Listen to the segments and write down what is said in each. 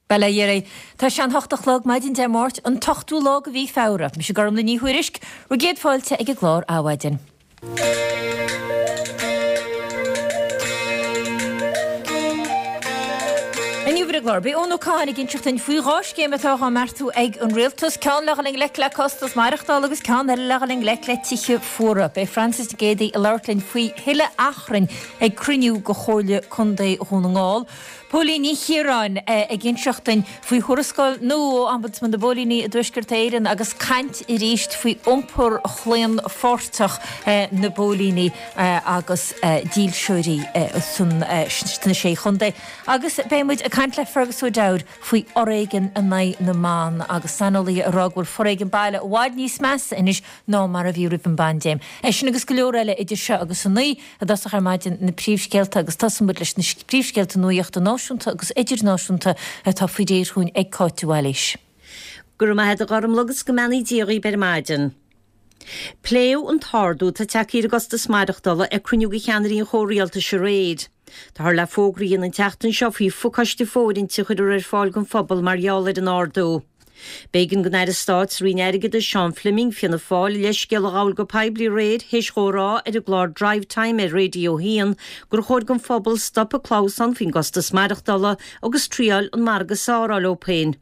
Bail ó Dhia oraibh. Tá sé an hocht a chlog maidin Dé Máirt, an t-ochtú lá de mhí Feabhra. Mise Gormlaith Ní Thuairisg, bhur gcéad fáilte ag an gclár Adhmhaidin. Inniu ar an gclár, beidh Eoin Ó Catháin ag inseacht duinn faoi dhá scéim atá á mbeartú ag an Rialtas, ceann le dhul i ngleic le costas maireachtála agus ceann eile le dhul i ngleic le tithe fuara. Beidh Frances Nic Géadaigh ag labhairt linn faoi thuilleadh achrainn ag cruinniú de Chomhairle Contae Dhún na nGall. Póilín Ní Chiaráin ag inseacht duinn faoi thuarascáil nua ó Ombudsman na bPóilíní i dTuaisceart Éireann agus caint arís faoi iompar claonpháirteach na bpóilíní agus dílseoirí sna Sé Chontae. Agus beidh muid ag caint le Fergus O'Dowd faoi fhoréigean in aghaidh na mban agus saineolaithe ag rá go bhfuil foréigean baile i bhfad níos measa anois ná mar a bhí roimh an bpaindéim. É sin agus go leor eile idir seo agus a naoi. I dtosach ar maidin, na príomhscéalta agus tosaíonn muid leis na príomhscéalta nuachta náisiúnta agus idirnáisiúnta atá faoi réir chugainn ag Cáit de Bhailís. Go raibh maith agat a Ghormlaith agus go mbeannaí Dia dhaoib ar maidin. Pléadh an t-ardú atá tagtha ar an gcostas maireachtála ag cruinniú de cheannairí an chomhrialtais aréir. Táthar le fógra a dhéanamh an tseachtain seo faoi phacáiste fóirithinte a chuirfear ar fáil don phobal mar gheall ar an ardú. B'éigean don Aire Stáit sa Roinn Airgeadais, Seán Fleming, Fianna Fáil, a leithscéal a ghabháil go poiblí aréir théis dhó a rá ar an gclár Drivetime ar Radio 1 gur chóir don phobal stop ag clamhsán faoin gcostas maireachtála agus triáil an margadh is fearr a fháil dóibh féin.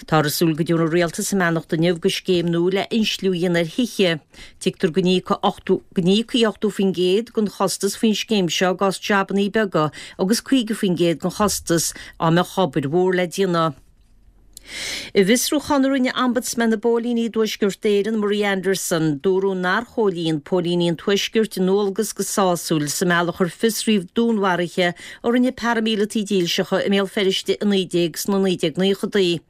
Táthar ag súil go dtabharfaidh an Rialtas a mbeannacht inniu do scéim nua le insliú a dhéanamh ar thithe. Tuigtear go n-íocfaí 80% den chostas faoin scéim seo i gcás jabannaí beaga agus 50% den chostas dá mbeadh obair mhór le déanamh. I bhfiosrúchán a rinne Ombudsman na bPóilíní i dTuaisceart Éireann, Marie Anderson, dúradh nár chomhlíon póilíní an Tuaiscirt a ndualgas go sásúil sa mbealach ar fiosraíodh dúnmharuithe a rinne paraimíleataigh dílseacha i mBéal Feirste i 19 sna 1990idí.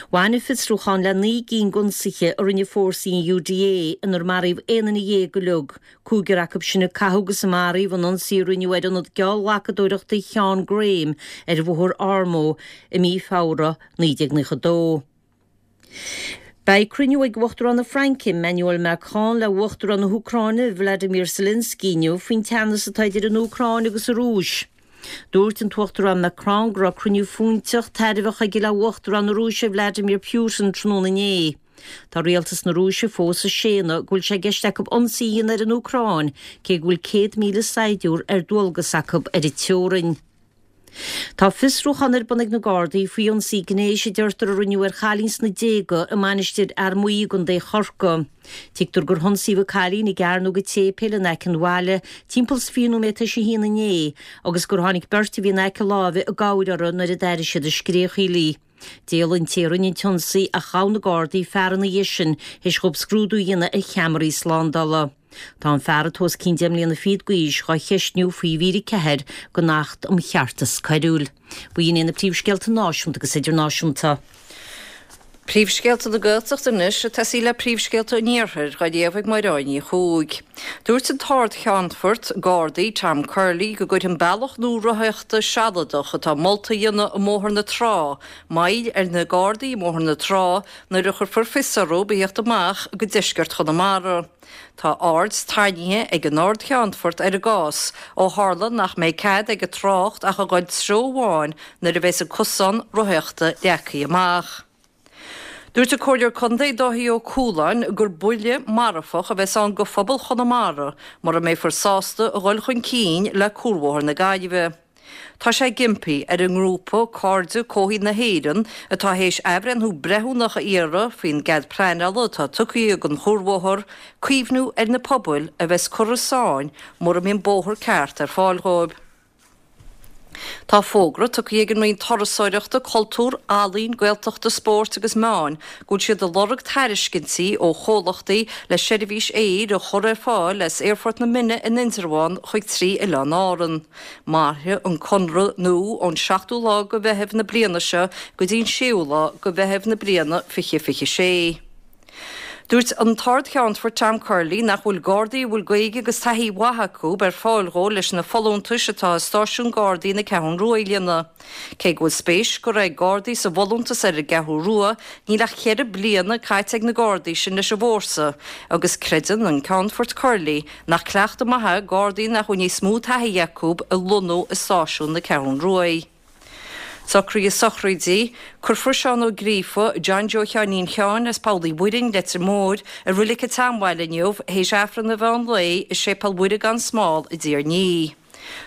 Bhain an fiosrúchán le 9 gcinn d'ionsaithe a rinne fórsaí an UDA inar maraíodh aon duine dhéag uilig, Cúigear acu sin a caitheadh agus a maraíodh in ionsaí a rinneadh ar ionad geallghlacadóireachta Sheáin Graham ar Bhóthar Ormeau i mí Feabhra 1992. Beidh cruinniú ag Uachtarán na Fraince, Emmanuel Macron le Uachtarán na hÚcráine, Vladimir Zelensky inniu faoin teannas atá idir an Úcráin agus an Rúis. Dúirt an tUachtarán Macron go raibh cruinniú fóinteach, tairbheach aige le Uachtarán na Rúise Vladimir Putin tráthnóna inné. Tá rialtas na Rúise fós ag séanadh go bhfuil sé i gceist acu ionsaí a dhéanamh ar an Úcráin, cé go bhfuil 100,000 saighdiúir ar dualgas acu ar an teorainn. Tá fiosrúchán ar bun ag na Gardaí faoi ionsaí gnéis a deirtear a rinneadh ar chailín sna déaga i Mainistir Fhear Maí i gContae Chorcaí. Tuigtear gur hionsaíodh an cailín i gcearnóg an tséipéil in aice an bhaile timpeall is 20 nóiméad tar éis a haon inné agus gur tháinig beirt a bhí in aice láimhe i gcabhair uirthi nuair a d'airigh siad ag scréachaíl í. D'éalaigh an té a rinne an t-ionsaí ach ghabh na Gardaí fear ina dhiaidh sin théis dhóibh scrúdú a dhéanamh ar cheamaraí slándála. Tá an fear, atá os cionn deich mbliana fichead d'aois, dhá cheistniú faoi mhír 4 den Acht um Cheartas Coiriúil. B'in iad na príomhscéalta náisiúnta agus idirnáisiúnta. Príomhscéalta na Gaeltachta anois ag tosaí le príomhscéalta an Iarthair dhá léamh ag Máire Ní Chuaig. Dúirt an tArd-Cheannfort Gardaí Tom Curley go gcuirfidh an bealach nua rothaíochta sealadach atá molta a dhéanamh i mBóthar na Trá moill ar na Gardaí i mBóthar na Trá nuair a chuirfear fios orthu a theacht amach go deisceart Chonamara. Tá aird tarraingthe ag an Ard-Cheannfort ar an gcás ó tharla nach mbeidh cead ag an trácht ach a dhul treo amháin nuair a bheas an cosán rothaíochta leagtha amach. Dúirt an Comhairleoir Contae Dáithí Ó Cualáin gur buille marfach a bheas ann go phobal Chonamara mura mbeifear sásta a dhul chun cinn le Cuarbhóthar na Gaillimhe. Tá sé ag impí ar an ngrúpa Cairde Comhshaoil na hÉireann, atá théis athbhreithniú breithiúnach a iarraidh faoin gcead pleanála atá tugtha don chuarbhóthar, cuimhniú ar na pobail a bheas curtha i sáinn mura mbíonn bóthar ceart ar fáil dhóibh. Tá fógra tugtha ag an Roinn Turasóireachta, Cultúir, Ealaíon, Gaeltachta, Spóirt agus Meáin go bhfuil siad ag lorg tairiscintí ó chomhlachtaí le seirbhís aeir a chur ar fáil as Aerfort na Minne in Indreabhán chuig trí oileán Árann. Mairfidh an conradh nua ón seachtú lá de Mheitheamh na bliana seo go dtí an séú lá de Mheitheamh na bliana 2026. Dúirt an tArd-Cheannfort Tom Curley nach bhfuil Gardaí a bhfuil Gaeilge agus taithí mhaith acu ar fáil dhó leis na folúntais atá i stáisiún Gardaí na Ceathrún Rua a líonadh. Cé go bhfuil spéis curtha ag Gardaí sa bhfolúntas ar an gCeathrú Rua, níl ach cheithre bliana caite ag na Gardaí sin leis an bhfórsa agus creideann an Ceannfort Curley Nach cleachtadh maith é Gardaí nach bhfuil níos mó taithí acu a lonnú i stáisiún na Ceathrún Ruaidh. Socruithe sochraide, Cuirfear Seán Ó Gríofa, John Joe Sheáinín Sheáin as Poll Uí Mhuirinn, Leitir Móir, i Roilig an tSeanbhaile inniu théis Aifreann an mheán lae i Séipéal Mhuire gan Smál i dTír an Fhia.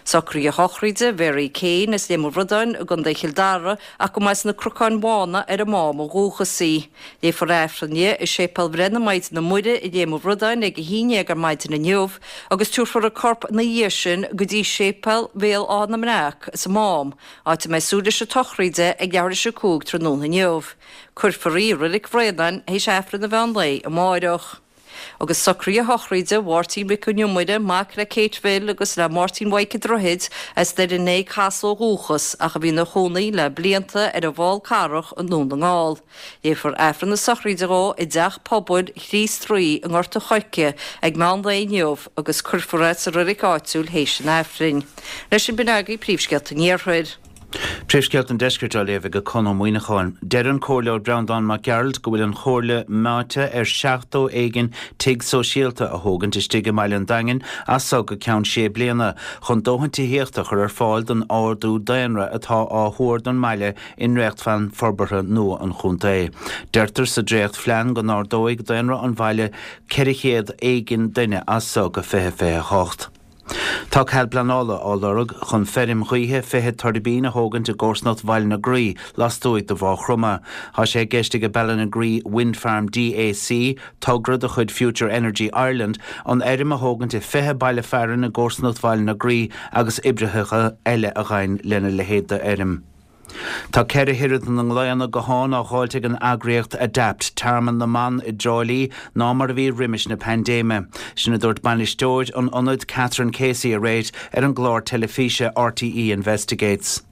Socruithe sochraide, Mary Kane as Léim an Bhradáin i gContae Chill Dara ach go mba as na Cnocáin Bhána ar an Mám ó dhúchas í. Léifear Aifreann di i Séipéal Bhreith na Maighdine Muire i Léim an Bhradáin ag 11 ar maidin inniu agus tabharfar a corp ina dhiaidh sin go dtí Séipéal Bhéal Átha na mBreac sa Mám, áit a mbeidh súil leis an tsochraid di ag leathuair théis 5 tráthnóna inniu. Cuirfear í i Roilig Bhraonáin théis Aifreann an mheán lae amáireach. Agus socruithe sochraide Mháirtín Mhic an Iomaire, mac le Kate Bhill agus le Máirtín Mhaidhc an Droichid, as Doire an Fhéich Theas ó dhúchas, ach a bhí ina chónaí le blianta ar an bhFál Carrach i nDún na nGall. Léifear Aifreann na sochraide dhó i dTeach Pobail Chríost Rí i nGort a' Choirce ag meán lae inniu agus cuirfear é sa reilig áitiúil théis an Aifrinn. Leis sin b'in agaibh príomhscéalta an Iarthair. Príomhscéalta an Deiscirt á léamh ag Conn Ó Muíneacháin. Deir an Comhairleoir Breandán Mac Gearailt go bhfuil an Chomhairle meáite ar 70 éigin tigh sóisialta a thógaint istigh i mbaile an Daingin as so go ceann sé bliana chun dóthain tithíochta a chur ar fáil don ardú daonra atá á thuar don mbaile i ndréachtphlean forbartha nua an chontae. Deirtear sa dréachtphlean go n-ardóidh daonra an bhaile 400 éigin duine as so go 2028. Tá cead pleanála á lorg chun feirm ghaoithe 20 tuirbín a thógaint i gcomharsanacht Bhaile na Graí lastuaidh de Mhaigh Chromtha. Tá sé i gceist ag Ballinagree Wind Farm DAC, togra de chuid Future Energy Ireland, an fheirm a thógaint i 20 baile fearainn i gcomharsanacht Bhaile na Graí agus oibreacha eile a ghabhann lena leithéid d'fheirm. Tá ceithre oiread na nglaonna gutháin á dháilt ag an eagraíocht Adapt, Tearmann na mBan i dTrá Lí ná mar a bhí roimis na paindéime. Sin a dúirt bainisteoir an ionaid Catherine Casey aréir ar an gclár teilifíse RTÉ Investigates.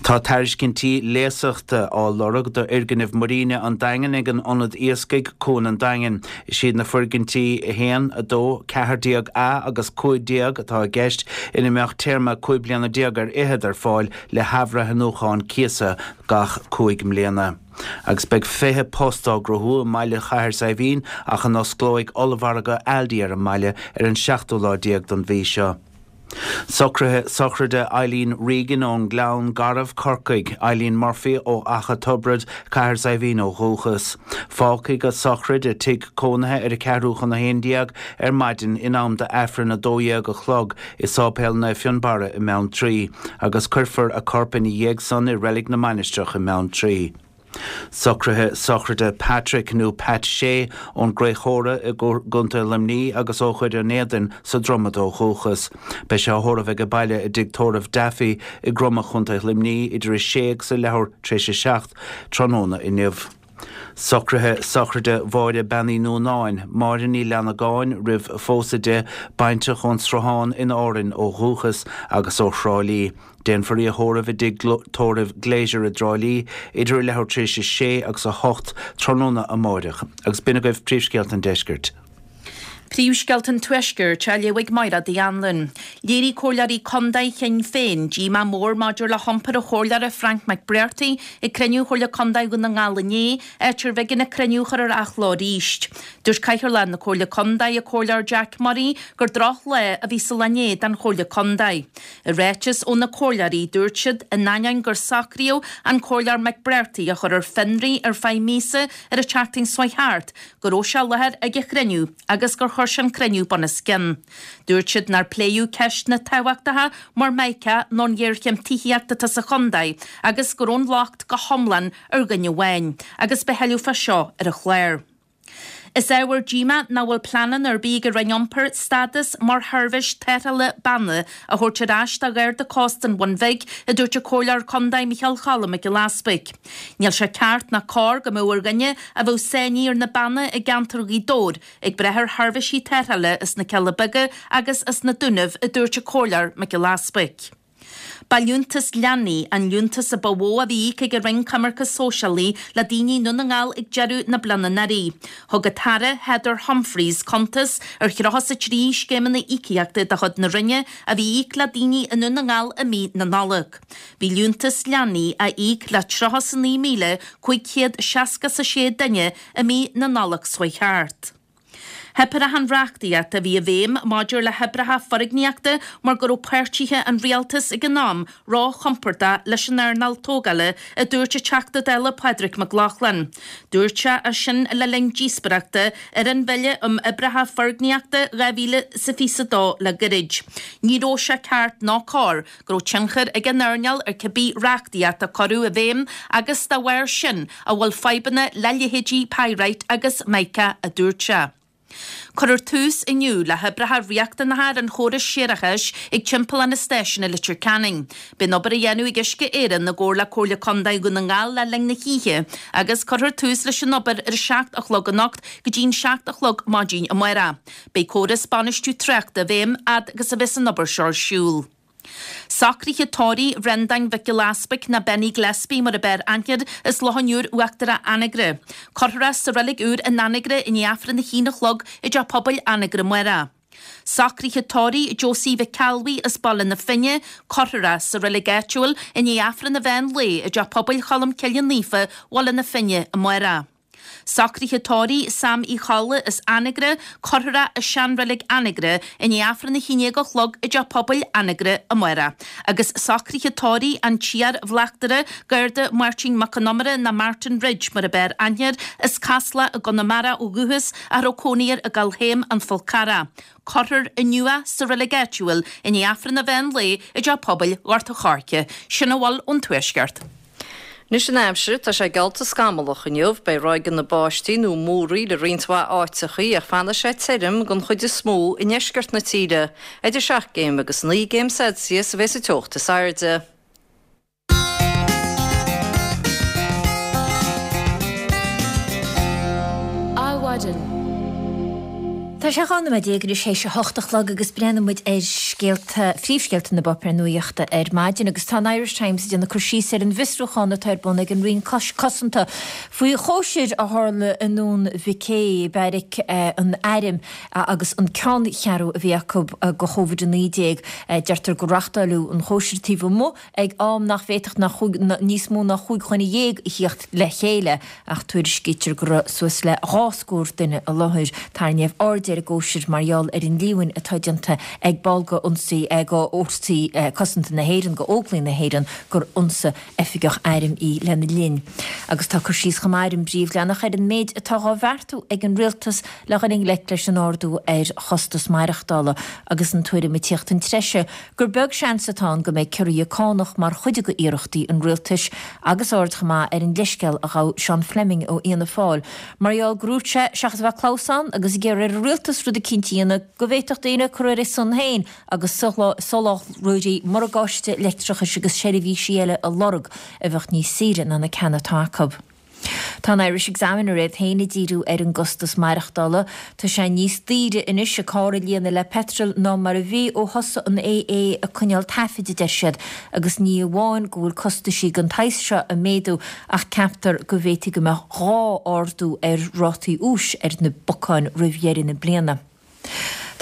Tá tairiscintí léasachta á lorg d'fhoirgneamh Muiríne an Daingin ag an Ionad Iascaigh, Cuan an Daingin. Is iad na foirgintí 1, 2, 14 A agus 15 atá i gceist ina mbeadh téarma 15 bliana ar fhichead ar fáil le hathbhreithniúchán cíosa gach 5 mbliana. Agus beidh 20 post á gcruthú i mbaile Chathair Saidhbhín ach a n-osclóidh ollmhargadh Aldi ar an mbaile ar an seachtú lá déag den mhí seo. Socruithe sochraide Eileen Regan ón nGleann Garbh, Corcaigh, Eileen Murphy ó Achadh Tobraid, Cathair Saidhbhín ó dhúchas. Fágfaidh a sochraid a tigh cónaithe ar a ceathrú chun a haon déag ar maidin in am d'Aifreann 12 a chlog i Sáipéal Naomh Fionnbarra i mBeanntraí, agus cuirfear a corp ina dhiaidh san i Reilig na Mainistreach i mBeanntraí. Socruithe sochraide Patrick nó Pat Shea ón gCroich Chóra i gContae Luimnigh agus ó Dhoire an Éadain sa Dromad ó dhúchas. Beidh sé á thórramh age baile i dTigh Tórraimh Daffy i gCromadh Chontae Luimnigh idir a sé agus a leathuair tar éis a 7 tráthnóna inniu. Socruithe sochraide Mháire Bean Uí Nuanáin, Máire Ní Leannagáin roimh phósadh di, baintreach ón Sruthán in Árainn ó dhúchas agus ó Thrá Lí. Déanfar í a thórramh i dtigh tórraimh Glazier i dTrá Lí idir a leathuair tar éis a sé agus a hocht tráthnóna amáireach. Agus b'in agaibh príomhscéalta an deiscirt. Príomhscéalta an Tuaiscirt á léamh ag Mairéad Uí Anluain. Léirigh Comhairleoirí Contae Shinn Féin díomá mór maidir le hiompar an Chomhairleora Frank McBrearty ag cruinniú Chomhairle Contae Dhún na nGall inné, áit arbh éigean an cruinniú a chur ar athló arís. Dúirt Cathaoirleach na Comhairle Contae, an Comhairleoir Jack Murray, gur drochlá a bhí sa lá inné don Chomhairle Contae. I ráiteas ó na Comhairleoirí, dúirt siad, in ainneoin gur socraíodh an Comhairleoir McBrearty a chur ar fionraí ar feadh míosa ar an tseachtain seo chuaigh thart, go raibh sé i láthair ag an chruinniú agus gur chuir sé an cruinniú bunoscionn. Dúirt siad nár pléadh ceisteanna tábhachtacha mar Mica nó an ghéarchéim tithíochta atá sa chontae agus go raibh an locht go hiomlán ar dhuine amháin agus beidh tuilleadh fá seo ar an chlár. Is ábhar díomá nach bhfuil pleananna ar bith ag an Roinn Iompair stádas mar sheirbhís tarrthála banna a thabhairt ar ais do Gharda Cósta an Bhun Bhig, a dúirt an Comhairleoir Contae Micheál Cholm Mac Giolla Easpaig. Níl sé ceart ná cóir go mbeadh ar dhuine a bheadh sáinnithe ar na Beanna i gceantar Ghaoth Dobhair ag brath ar sheirbhísí tarrthála as na Cealla Beaga agus as na Dúnaibh, a dúirt an Comhairleoir Mac Giolla Easpaig. Ba liúntas leanaí an liúntas a ba mhó a bhí íoctha ag an Roinn Coimirce Sóisialaí le daoine i nDún na nGall ag deireadh na bliana anuraidh. Thug an tAire Heather Humphreys cuntas ar 33 scéimeanna íocaíochta de chuid na Roinne a bhí á íoc le daoine i nDún na nGall i mí na Nollag. Bhí liúntas leanaí á íoc le 39,566 duine i mí na Nollag seo chuaigh thart. Theip ar achan reachtaíocht a bhí i bhfeidhm maidir le hoibreacha foirgníochta mar go raibh páirtithe an rialtais ag an am róchompordach leis an earnáil tógála, a dúirt an Teachta Dála Pádraig Mac Lochlainn. Dúirt sé é sin le linn díospóireachta ar an Bhille um Oibreacha Foirgníochta 2022 le gairid. Ní raibh sé ceart ná cóir go raibh tionchar ag an earnáil ar cibé reachtaíocht a cuireadh i bhfeidhm agus dá bharr sin a bhfuil fadhbanna le leithéidí Pyrite agus Mica, a dúirt sé. Cuirfear tús inniu le hoibreacha riachtanacha ar an chóras séarachais ag timpeallán an stáisiúin i Leitir Ceanainn. Beidh an obair á dhéanamh ag Uisce Éireann i gcomhar le Comhairle Contae Dhún na nGall le linn na hoíche agus cuirfear tús leis an obair ar a 7 a chlog anocht go dtí'n 7 a chlog maidin amárach. Beidh córas bainistiú tráchta i bhfeidhm fhad agus a bheas an obair seo ar siúl. Socruithe tórraimh Bhreandáin Mhic Giolla Easpaig nó Benny Gillespie mar ab fhearr aithne air as Loch an Iúir Uachtarach Anagaire. Cuirfear é sa reilig úr in Anagaire i ndiaidh Aifreann a haon a chlog i dTeach Pobail Anagaire amárach. Socruithe tórraimh Josie Mhic Ceallbhuí as Baile na Finne, Cuirfear é sa reilig áitiúil i ndiaidh Aifreann an mheán lae i dTeach Pobail Cholm Cille Naofa, Bhaile na Finne amárach. Socruithe tórraimh Sam Uí Cholla as Anagaire, Cuirfear é i seanreilig Anagaire i ndiaidh Aifreann a haon déag a chlog i dTeach Pobail Anagaire amárach. Agus socruithe tórraimh an t-iar-bhleachtaire Garda Máirtín Mac Con Iomaire nó Martin Ridge mar ab fhearr aithne air, as Casla i gConamara ó dhúchas ach a raibh cónaí air i gCoill Théim, An Fál Carrach. Cuirfear inniu é sa reilig áitiúil i ndiaidh Aifreann an mheán lae i dTeach Pobail Ghort an Choirce. Sin a bhfuil ón Tuaisceart. Anois an aimsir, tá sé geallta scamallach inniu. Beidh ráigeanna báistí nó múraíl i roinnt mhaith áiteachaí ach fanfaidh sé tirim den chuid is mó i ndeisceart na tíre. Idir 7 gcéim agus 9 gcéim Celsius a bheas an teocht is airde. Adhmhaidin. Tá sé 12 nóiméad anois théis a hocht a chlog agus breathnóidh muid ar scéalta, phríomhscéalta na bpáipéar nuaíochta ar maidin agus tá an Irish Times ag déanamh cur síos ar an bhfiosrúchán atá ar bun ag an Roinn Cosanta faoi chóisir a tharla i nDún Mhic Aodha, beairic an airm agus an ceanncheathrú a bhí acu do Covid-19. Deirtear gur reachtáileadh an chóisir taobh amuigh ag am nach bhféadfadh ná níos mó ná chúig dhuine dhéag a thíocht le chéile, ach tuairiscítear go raibh suas le dhá scór duine i láthair. Tarraingíodh aird ar an gcóisir mar gheall ar an líomhain atá déanta ag ball de ionsaí de Fhórsaí Cosanta na hÉireann, de Óglaigh na hÉireann, gur ionsaigh oifigeach airm í lena linn. Agus tá cur síos chomh maith ar an bpríomhleathanach ar an méid atá dhá bheartú ag an rialtas le dhul i ngleic leis an ardú ar chostas maireachtála agus an tuairim ag tíocht chun treise gur beag seans atá ann go mbeidh ciorruithe cánach mar chuid de iarrachtaí an rialtais agus aird chomh maith ar an leithscéal a ghabh Seán Fleming ó Fhianna Fáil mar gheall gur dhúirt sé, seachas a bheith ag clamhsán agus ag iarraidh ar an rialtas rud eicínt a dhéanamh, go bhféadfadh daoine cur ar a son féin agus soláthróirí morgáiste leictreachais agus seirbhísí eile a lorg a bheadh níos saoire ná na ceanna atá acu. Tá an Irish Examiner iad féin ag díriú ar an gcostas maireachtála. Tá sé níos daoire anois an carr a líonadh le peitreal ná mar a bhí ó thosaigh an AA ag coinneáil taifid, a deir siad, agus ní amháin go bhfuil costaisí den tsaghas seo ag méadú ach ceaptar go bhféadfaidh go mbeadh dhá ardú ar rátaí úis ar na bacáin roimh dheireadh na bliana.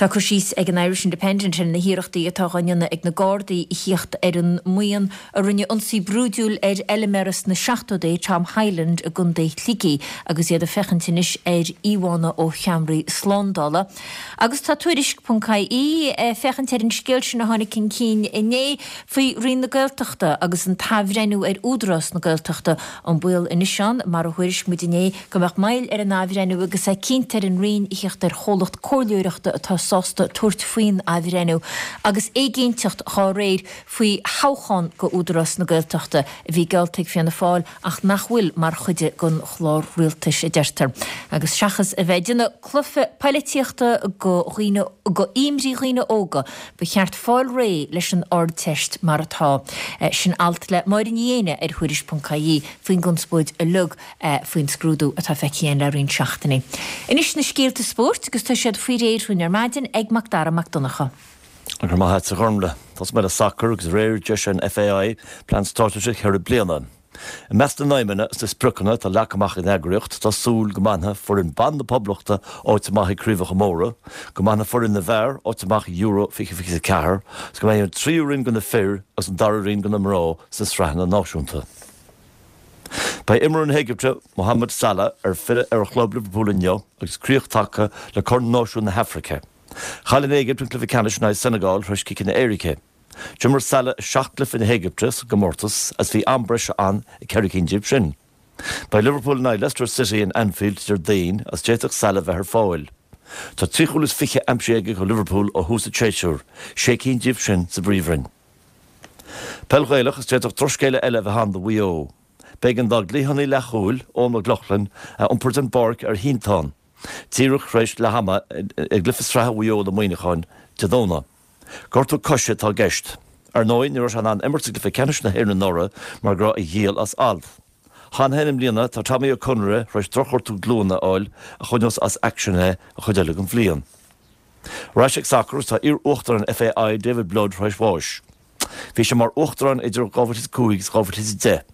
Tá cur síos ag an Irish Independent ar na hiarrachtaí atá dhá ndéanamh ag na Gardaí a thíocht ar an mbuíon a rinne ionsaí brúidiúil ar fheilméara sna seachtóidí, Tom Hyland i gContae Shligigh agus iad ag féachaint anois ar íomhánna ó cheamaraí slándála. Agus tá Tuairisc ponc ie ag féachaint ar an scéal sin a tháinig chun cinn inné faoi Roinn na Gaeltachta agus an t-athbhreithniú ar Údarás na Gaeltachta, an baol anois ann, mar a thuairisc muid inné, go mbeadh moill ar an athbhreithniú agus é cinnte ar an Roinn a thíocht ar chomhlacht comhairleoireachta atá sásta tabhairt faoin athbhreithniú, agus éiginnteacht dhá réir faoi thoghchán go Údarás na Gaeltachta a bhí geallta ag Fianna Fáil ach nach bhfuil mar chuid den chlár rialtais, a deirtear. Agus seachas a bheith ag déanamh cluife poilitíochta go dhaoine go imní dhaoine óga, ba cheart fáil réidh leis an Ardteist mar atá. Sin alt le Máire Ní Éinne ar Thuairisc.ie faoin gconspóid uilig faoin scrúdú atá feicthe againn le roinnt seachtainí. Anois na scéalta spóirt agus tá siad faoi réir dhúinn ar maidin ag Mac Dara Mac Donncha. Go raibh maith a't a Ghormlaith. Tosóidh mé le sacar agus aréir d'eisigh an FAI plean straitéise cheithre bliana. I measc na n-aidhmeanna is na spriocanna atá leagtha amach ag an eagraíocht tá súil go mbainfidh foireann ban na Poblachta áit amach ag craobhacha móra, go mbainfidh foireann na bhfear áit amach i Euro 2024 agus go mbeidh an tríú roinn do na fir agus an dara roinn do na mná sna sraitheanna náisiúnta. Beidh imreoir na hÉigipte, Mohamed Salah, ar filleadh ar a chlub Liverpool inniu agus críoch tagtha le Corn Náisiún na hAfraice. Chaill an Éigipt an cluiche ceannais in aghaidh Senegal tar éis ciceanna éirice. D'imir Salah i seacht gcluiche na hÉigipte sa gcomórtas agus bhí am breise ann i gceithre cinn díobh sin. Beidh Liverpool in aghaidh Leicester City in Anfield Déardaoin agus d'fhéadfadh Salah bheith ar fáil. Tá trí chúl is fiche aimsithe aige do Liverpool ó thús an tséasúir, sé cinn díobh sin sa bPríomhroinn. Peil Ghaelach agus d'fhéadfadh drochscéala eile a bheith ann do Mhaigh Eo. B'éigean dá gcliathánaí leathchúil, Eoghan McLaughlin, a iompar den bpáirc ar shínteán, díreach tar éis leath ama i gcluiche sraithe Mhaigh Eo le Muineachán Dé Domhnaigh. Gortú coise atá i gceist. Ar ndóigh, ní raibh sé in ann imirt i gcluiche ceannais na hÉireann anuraidh mar go raibh a ghiall as alt. Cheana féin i mbliana, tá Tommy Ó Conaire tar éis drochghortú glúine a fháil a choinneos as aicsean é an chuid eile den bhliain. Ar ais ag sacar agus tá iar-uachtarán an FAI, David Blood, tar éis bháis. Bhí sé mar uachtarán idir 2005 agus 2010.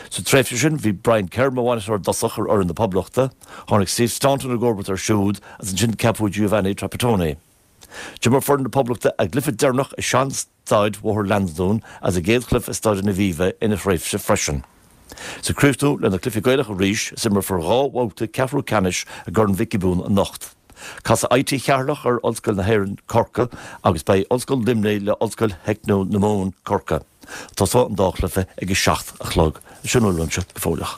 Sa tréimhse sin, bhí Brian Kerr mar bhainisteoir i dtosach ar fhoireann na Poblachta, tháinig Steve Staunton i gcomharbacht air siúd agus ansin ceapadh Giovanni Trapattoni. D'imir foireann na Poblachta a gcluiche deireanach i sean-staid Bhóthar Lansdún agus a gcéad chluiche i Staid an Aviva ina thréimhse freisin. Is ag críochnú le na cluichí Gaelacha arís is imreofar 2 bhabhta ceathrú ceannais i gCorn Mhic Giobúin anocht. Casfaidh IT Cheatharlach ar Ollscoil na hÉireann, Corcaigh agus beidh Ollscoil Luimnigh le Ollscoil Theicniúil na Mumhan, Corcaigh. Tosóidh an dá chluiche ag 7 a chlog. Sin a bhfuil uaimse go fóilleach.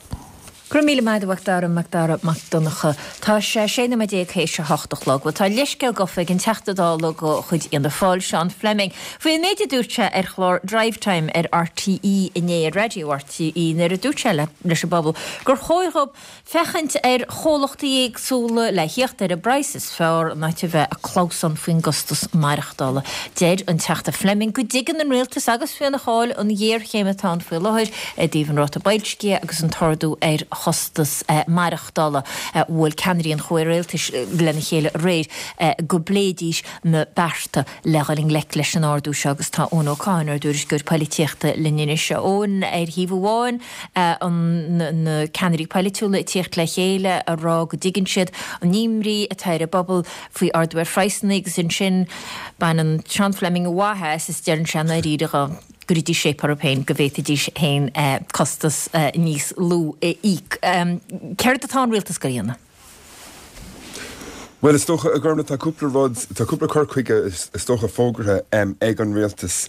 Go raibh míle maith agat a Mhac Dara, Mac Dara Mac Donncha. Tá sé 16 nóiméad théis a hocht a chlog. Bhuel, tá leithscéal gafa ag an Teachta Dála de chuid Fhianna Fáil, Seán Fleming, faoi an méid a dúirt sé ar chlár Drivetime ar RTÉ inné, ar raidió RTÉ, nuair a dúirt sé leis an bpobal gur chóir dhóibh féachaint ar chomhlachtaí éagsúla le thíocht ar an bpraghas is fearr in áit a bheith ag clamhsán faoin gcostas maireachtála. Deir an Teachta Fleming go dtuigeann an Rialtas agus Fianna Fáil an ghéarchéim atá ann faoi láthair i dtaobh an ráta boilscithe agus an t-ardú ar chostas maireachtála. Bhuail ceannairí an chomhrialtais lena chéile aréir go bpléidís na bearta le dhul i ngleic leis an ardú seo agus tá Eoin Ó Cadhain, ár dtuairisceoir poilitíochta, linn anois. A Eoin, ar thaobh amháin, na ceannairí poilitiúla ag tíocht le chéile a rá go dtuigeann siad an imní atá ar an bpobal faoi ardú ar phraghsanna agus ansin baineann Seán Fleming a mhaith as is deireann sé i ndáiríre go gcuirfidís séip orthu féin go bhféadfaidís féin costas níos lú a íoc. Céard atá an rialtas ag goil a dhéanamh? Bhuel, is dócha, a Ghormfhlaith, tá cúpla rud, tá cúpla cur chuige, is dócha, fógartha ag an rialtas.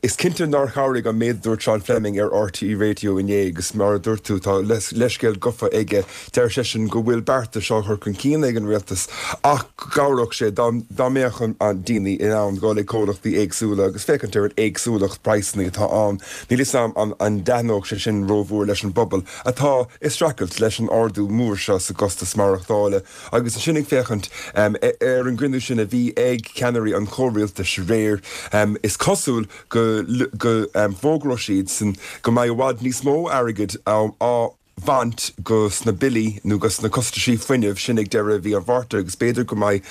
Is cinnte nár chabhraigh an méid a dúirt Seán Fleming ar RTÉ Radio inné agus mar a dúirt tú, tá leithscéal gafa aige. Deir seisean go bhfuil beartais á chur chun cinn ag an rialtas ach go gcabhródh sé dá mbeadh an daoine in ann dul ag comhlachtaí éagsúla agus féachaint ar an éagsúlacht praghsanna atá ann. Níl 'fhios a'm an dtaitneodh sé sin rómhór leis an bpobal atá ag streachailt leis an ardú mór seo sa gcostas maireachtála agus ansin ag féachaint ar an gcruinniú sin a bhí ag ceannairí an chomhrialtais aréir, is cosúil go bhfógróidh siadsan go mbeidh i bhfad níos mó airgid á bhaint de sna billí nó de sna costaisí fuinnimh sin ag deireadh mhí an Mhárta agus b'fhéidir go mbeidh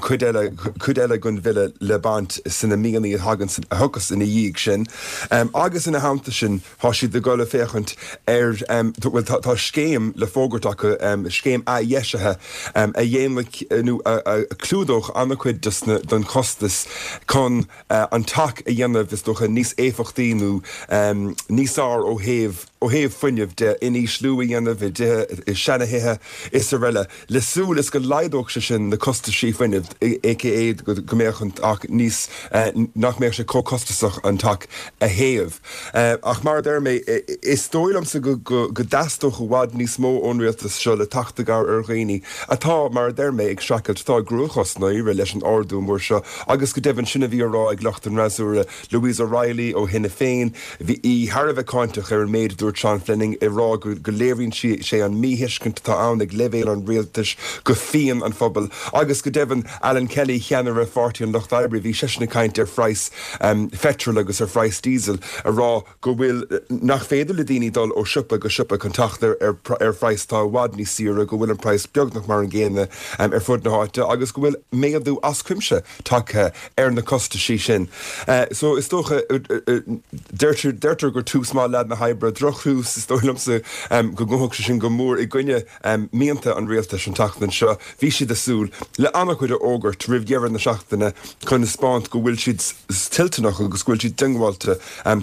cuid eile cuid eile den bhille le baint sna míonna a thagann a thiocfas ina dhiaidh sin. Agus ina theannta sin, Tá siad ag dul ag féachaint ar, bhuel tá scéim le fógairt acu, scéim athdheisithe a dhéanfaidh nó a chlúdódh an-chuid den chostas chun an teach a dhéanamh is dócha níos éifeachtaí nó níos fearr ó thaobh ó thaobh fuinnimh de, inísliú a dhéanamh i dtithe, i seana-thithe is araile, le súil is go laghdódh sé sin na costaisí fuinnimh, aka go mbeadh an teach níos, nach mbeadh sé chomh costasach an teach a théamh. Ach mar a deir mé, is dóigh liomsa go dteastódh i bhfad níos mó ón rialtas seo le teacht i gcabhair ar dhaoine atá, mar a deir mé, ag streachailt, atá i gcruachás i ndáiríre leis an ardú mór seo agus go deimhin sin a bhí á rá ag lucht an fhreasúra, Louise O'Reilly ó Shinn Féin, bhí í thar a bheith cáinteach ar an méid a dúirt Seán Fleming, ag rá go léiríonn sé an míthuiscint atá ann ag leibhéal an rialtais go phian an phobail agus go deimhin Alan Kelly, ceannaire Pháirtí an Lucht Oibre, bhí seisean ag caint ar phraghas pheitril agus ar phraghas diesel, ag rá go bhfuil, nach féidir le daoine dul ó siopa go siopa chun teacht ar ar phraghas atá i bhfad níos saoire, go bhfuil an praghas beagnach mar an gcéanna ar fud na háite agus go bhfuil méadú as cuimse tagtha ar na costaisí sin. So is dócha, deirtear gur tús maith leath na hoibre, drochthús is dóigh liomsa. go ngabhfadh sé sin go mór i gcoinne mianta an rialtais an tseachtain seo. Bhí siad ag súil le an-chuid a fhógairt roimh dheireadh na seachtaine chun a 'speáint go bhfuil siad toilteanach agus go bhfuil siad diongbháilte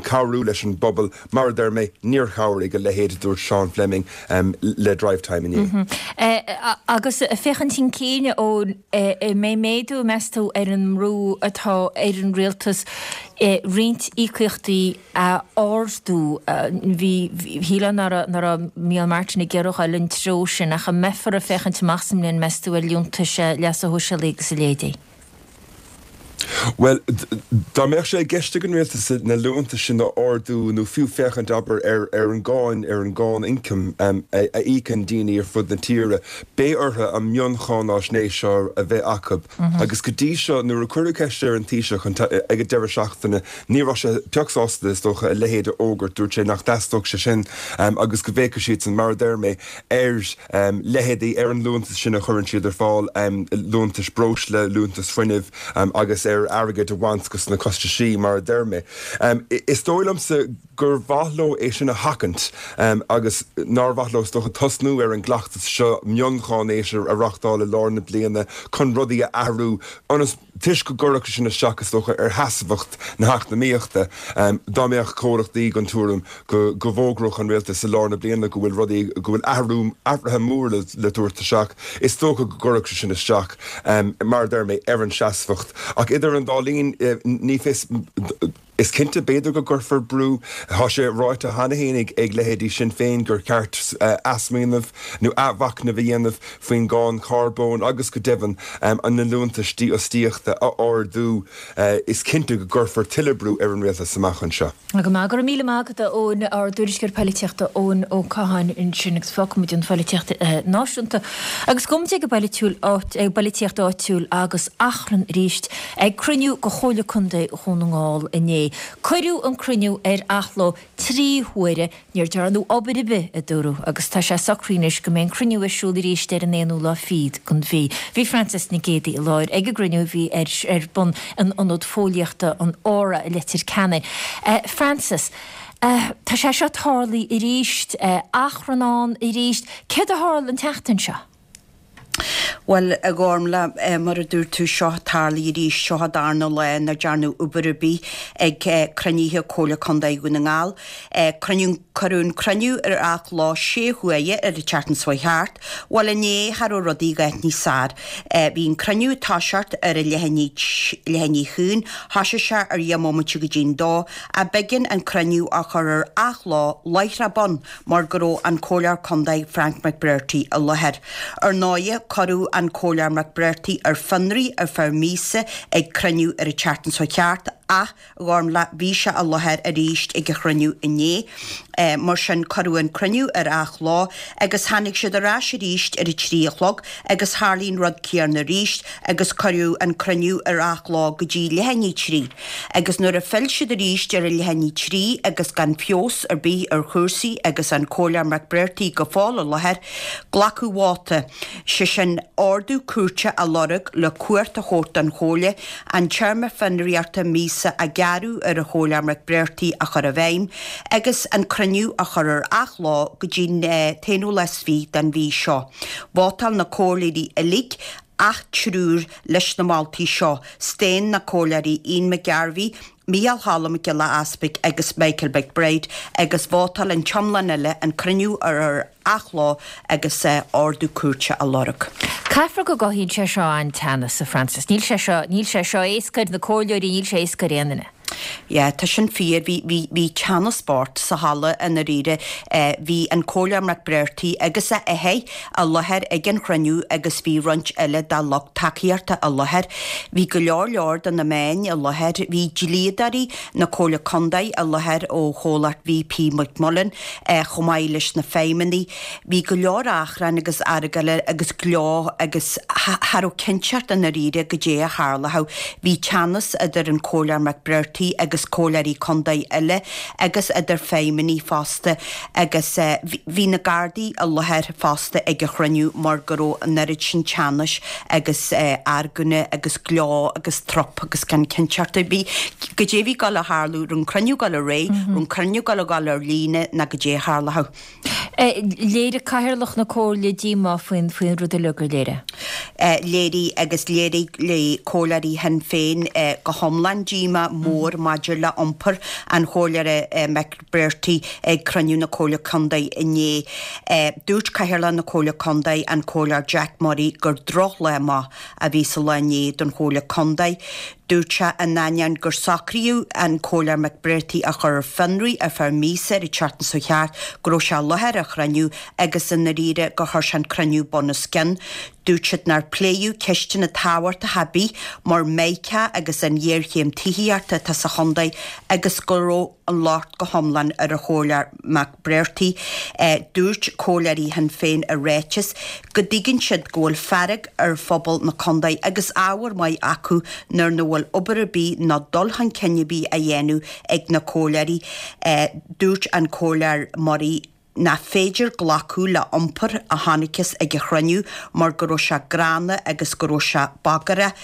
cabhrú leis an bpobal. Mar a deir mé, níor chabhraigh a leithéid a dúirt Sean Fleming le Drivetime inné. Agus féachaint chun cinn, an mbeidh méadú, meas tú, ar an mbrú atá ar an rialtas roinnt íocaíochtaí a ardú? Bhí, shílfeá nach raibh Micheál Martin ag iarraidh dul an treo sin, ach an mbeifear ag féachaint amach sa mbliain, meas tú, ar liúntais leasa shóisialaigh agus a leithéidí? Bhuel, dá mbeadh sé i gceist ag an rialtas na liúntais sin a ardú nó fiú féachaint, abair, ar an gcáin, ar an gcáin ioncaim a íocann daoine ar fud na tíre, beidh orthu an mhioncháináisnéis seo a bheith acu. Agus go dtí seo, nuair a cuireadh ceist ar an Taoiseach ag an deireadh seachtaine, ní raibh sé pioc sásta, is dócha, a leithéid a fhógairt. Dúirt sé nach dteastódh sé sin agus go bhféachfadh siadsan, mar a deir mé, ar leithéidí, ar an liúntas sin a chuireann siad ar fáil, liúntais breosla, liúntais fuinnimh agus ar airgead a bhaint dos na costaisí, mar a deir mé. Is dóigh liomsa gur mhaith leo é sin a sheachaint agus nár mhaith leo, is dócha, tosnú ar an gcleachtas seo mioncháinéis a reachtáil i lár na bliana chun rudaí a athrú ionas, toisc go gcuirfeadh sé sin isteach, is dócha, ar sheasmhacht na heacnamaíochta. Dá mbeadh comhlachtaí den tuairim go bhfógródh an rialtas i lár na bliana go bhfuil rudaí, go bhfuil athrú, athruithe móra le tabhairt isteach, is dócha go gcuirfeadh sé sin isteach, mar a deir mé, ar an seasmhacht. Ach idir an dá linn, ní fios. Is cinnte, b'fhéidir go gcuirfear brú. Tá sé ráite cheana féin ag leithéidí Sinn Féin gur cheart athsmaoineamh nó athmhachnamh a dhéanamh faoin gcáin charbóin agus go deimhin na liúntais dífhostaíochta a ardú. Is cinnte go gcuirfear tuilleadh brú ar an rialtas amach anseo. Go maith, go raibh míle maith agat a Eoin, ár dtuairisceoir poilitíochta Eoin Ó Catháin ansin agus fágfaimid an phoilitíocht náisiúnta agus gabhfaimid ag an bpoilitíocht áitiúil agus achrann arís ag cruinniú de Chomhairle Contae Dhún na nGall inné. Cuireadh an cruinniú ar athló 3 huaire, níor dearnadh obair ar bith, a dúradh, agus tá sé socraithe anois go mbeidh an cruinniú ar siúl arís ar an aonú lá fichead den mhí. Bhí Frances Nic Géadaigh i láthair ag an gcruinniú a bhí ar ar bun in Ionad Fóillíochta an Aura i Leitir Ceanainn. Frances, tá sé seo tarlaithe arís, achrann ann arís. Céard a tharla an tseachtain seo? Bhuel, a Ghormlaith, mar a dúirt tú, seo tarlaithe arís, seo an darna lá nach dearnadh obair ar bith ag cruinnithe Comhairle Contae Dhún na nGall. Cruinniú, cuireadh an cruinniú ar athló sé huaire ar an tseachtain seo chuaigh thart. Bhuel, inné, cha raibh rudaí a dhath níos fearr. Bhí an cruinniú ag toiseacht ar a leath i ndiaidh, leath i ndiaidh a haon, thoisigh sé ar dheich mbomaite go dtí'n dó, ach b'éigean an cruinniú a chur ar athló láithreach bonn mar go raibh an Comhairleoir Contae Frank McBrearty i láthair. Ar ndóighe, cuireadh an Comhairleoir McBrearty ar fionraí ar feadh míosa ag cruinniú ar an tseachtain seo chuaigh thart ach, a Ghormlaith, bhí sé i láthair arís ag an chruinniú inné. Mar sin, cuireadh an cruinniú ar athló agus tháinig siad ar ais arís ar a 3 a chlog agus tharlaigh an rud céanna arís agus cuireadh an cruinniú ar athló go dtí leath i ndiaidh 3. Agus nuair a phill siad arís ar a leath i ndiaidh 3 agus gan feabhas ar bith ar chúrsaí agus an Comhairleoir McBrearty go fóill i láthair, glacadh vóta, sé sin ordú cúirte a lorg le cumhacht a thabhairt don Chomhairle an téarma fionraíochta míosa a gearradh ar an Chomhairleoir McBrearty a chur i bhfeidhm agus an cruinniú a chur ar athló go dtí an t-aonú lá is fiche den mhí seo. Vótáil na comhairleoirí uilig ach triúr leis na moltaí seo, Staon na comhairleoirí Ian McGarvey, Micheál Choilm Mac Giolla Easpaig agus Michael McBride agus vótáil an t-iomlán eile an cruinniú a chur ar athló agus ordú cúirte a lorg. Caithfear go gcothaíonn sé seo an-teannas, a Frances. Níl sé seo, níl sé seo éasca ar na comhairleoirí, níl sé éasca ar aon duine. Yeah, tá sin fíor. Bhí, bhí, bhí teannas bocht sa halla i ndáiríre. Bhí an Comhairleoir McBrearty agus a athair i láthair ag an chruinniú agus bhí roinnt eile dá lucht tacaíochta i láthair. Bhí go leor leor de na meáin i láthair. Bhí dlíodóirí na Comhairle Contae i láthair ó chomhlacht VP McMullen chomh maith leis na feidhmeannaigh. Bhí go leor achrainn agus argóla agus gleo agus cha raibh cinnteacht i ndáiríre goidé a tharlódh. Bhí teannas idir an Comhairleoir McBrearty agus comhairleoirí contae eile agus idir feidhmeannaigh fosta agus bhí na Gardaí i láthair fosta ag an chruinniú mar go raibh an oiread sin teannais agus argóna agus gleo agus trup agus gan cinnteacht ar bith goidé a bhí ag dul a tharlú, raibh an cruinniú ag dul ar aghaidh, raibh an cruinniú ag dul a dhul ar líne ná goidé a tharlódh. Léirigh Cathaoirleach na Comhairle díomá faoin rud uilig, ar léirigh? Léirigh agus léirigh le comhairleoirí Shinn Féin go hiomlán díomá mór maidir le iompar an Chomhairleora McBrearty ag cruinniú na Comhairle Contae inné. Dúirt Cathaoirleach na Comhairle Contae, an Comhairleoir Jack Murray, gur drochlá amach a bhí sa lá inné don Chomhairle Contae. Dúirt sé in ainneoin gur socraíodh an Comhairleoir McBrearty a chur ar fionraí ar feadh míosa ar an tseachtain seo thart go raibh sé i láthair ar chruinniú agus i ndáiríre gur chuir sé an cruinniú bun os cionn. Dúirt siad nár pléadh ceisteanna tábhachtacha ar bith mar Meiriceá agus an ghéarchéim tithíochta atá sa chontae agus go raibh an locht go hiomlán ar an Chomhairleoir McBrearty. Dúirt comhairleoirí Shinn Féin i ráiteas go dtuigeann siad go bhfuil fearg ar phobal na contae agus ábhar maith acu nuair nach bhfuil obair ar bith ná dul chun cinn ar bith á dhéanamh ag na comhairleoirí. Dúirt an Comhairleoir Murray nach féidir glacadh le iompar a chonacthas ag an chruinniú mar go raibh sé gránna agus go raibh sé bagarach.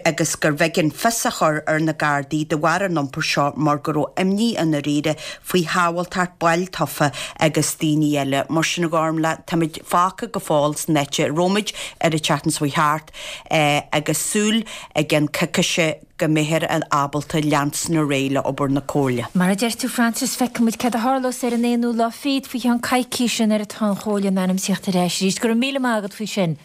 agus gurbh éigean fios a chur ar na Gardaí de bharr an iompair seo mar go raibh imní i ndáiríre faoi shábháilteacht baill tofa agus daoine eile. Mar sin, a Ghormlaith, táimid fágtha go fóill san áit a raibh muid ar an tseachtain seo thart agus súil i gceann coicíse go mbeifear ábalta leanstan ar aghaidh le obair na Comhairle. Mar a deir tú Frances, feicfidh muid céard a tharlós ar an aonú lá fichead faoi cheann coicíse nuair atá an Chomhairle in ainm is a theacht ar ais arís. Go raibh míle maith agat faoi sin.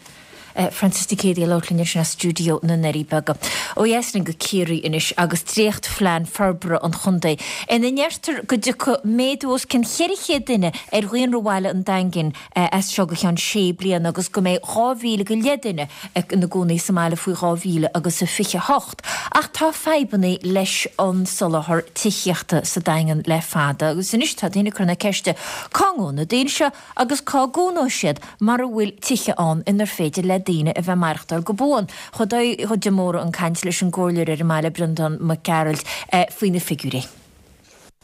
Frances Nic Géadaigh ag labhairt linn ansin as stiúideo na nDoirí Beaga. Ó dheas linn go Ciarraí anois agus dréachtphlean forbartha an chontae ina ndeirtear go dtiocfaidh méadú os cionn 400 duine ar dhaonra bhaile an Daingin as seo go ceann sé bliana agus go mbeidh 2,000 go leith duine ina gcónaí sa mbaile faoi 2028. Ach tá fadhbanna leis an soláthar tithíochta sa Daingean le fada agus anois tá daoine ag cur na ceiste cá ngabhfaidh na daoine seo Agus cá gcónóidh siad mara bhfuil tithe ann inar féidir le daoine a bheith ag maireachtáil go buan? Chuaigh Dáithí de Mórdha chun cainte leis an gcomhairleoir ar an mbaile, Breandán Mac Gearailt, faoi na figiúirí.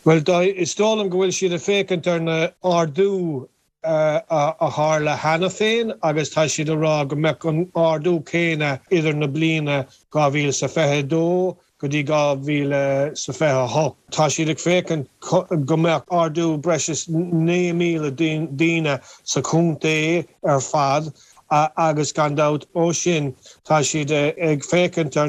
Bhuel, is dóigh liom go bhfuil siad ag féachaint ar na ardú a tharla cheana féin agus tá siad ag rá go mbeadh an ardú céanna idir na bliana 2022 go dtí 2028. Tá siad ag féachaint go mbeadh ardú breis is 9,000 daoine sa chontae ar fad agus gan dabht ó sin tá siad ag féachaint ar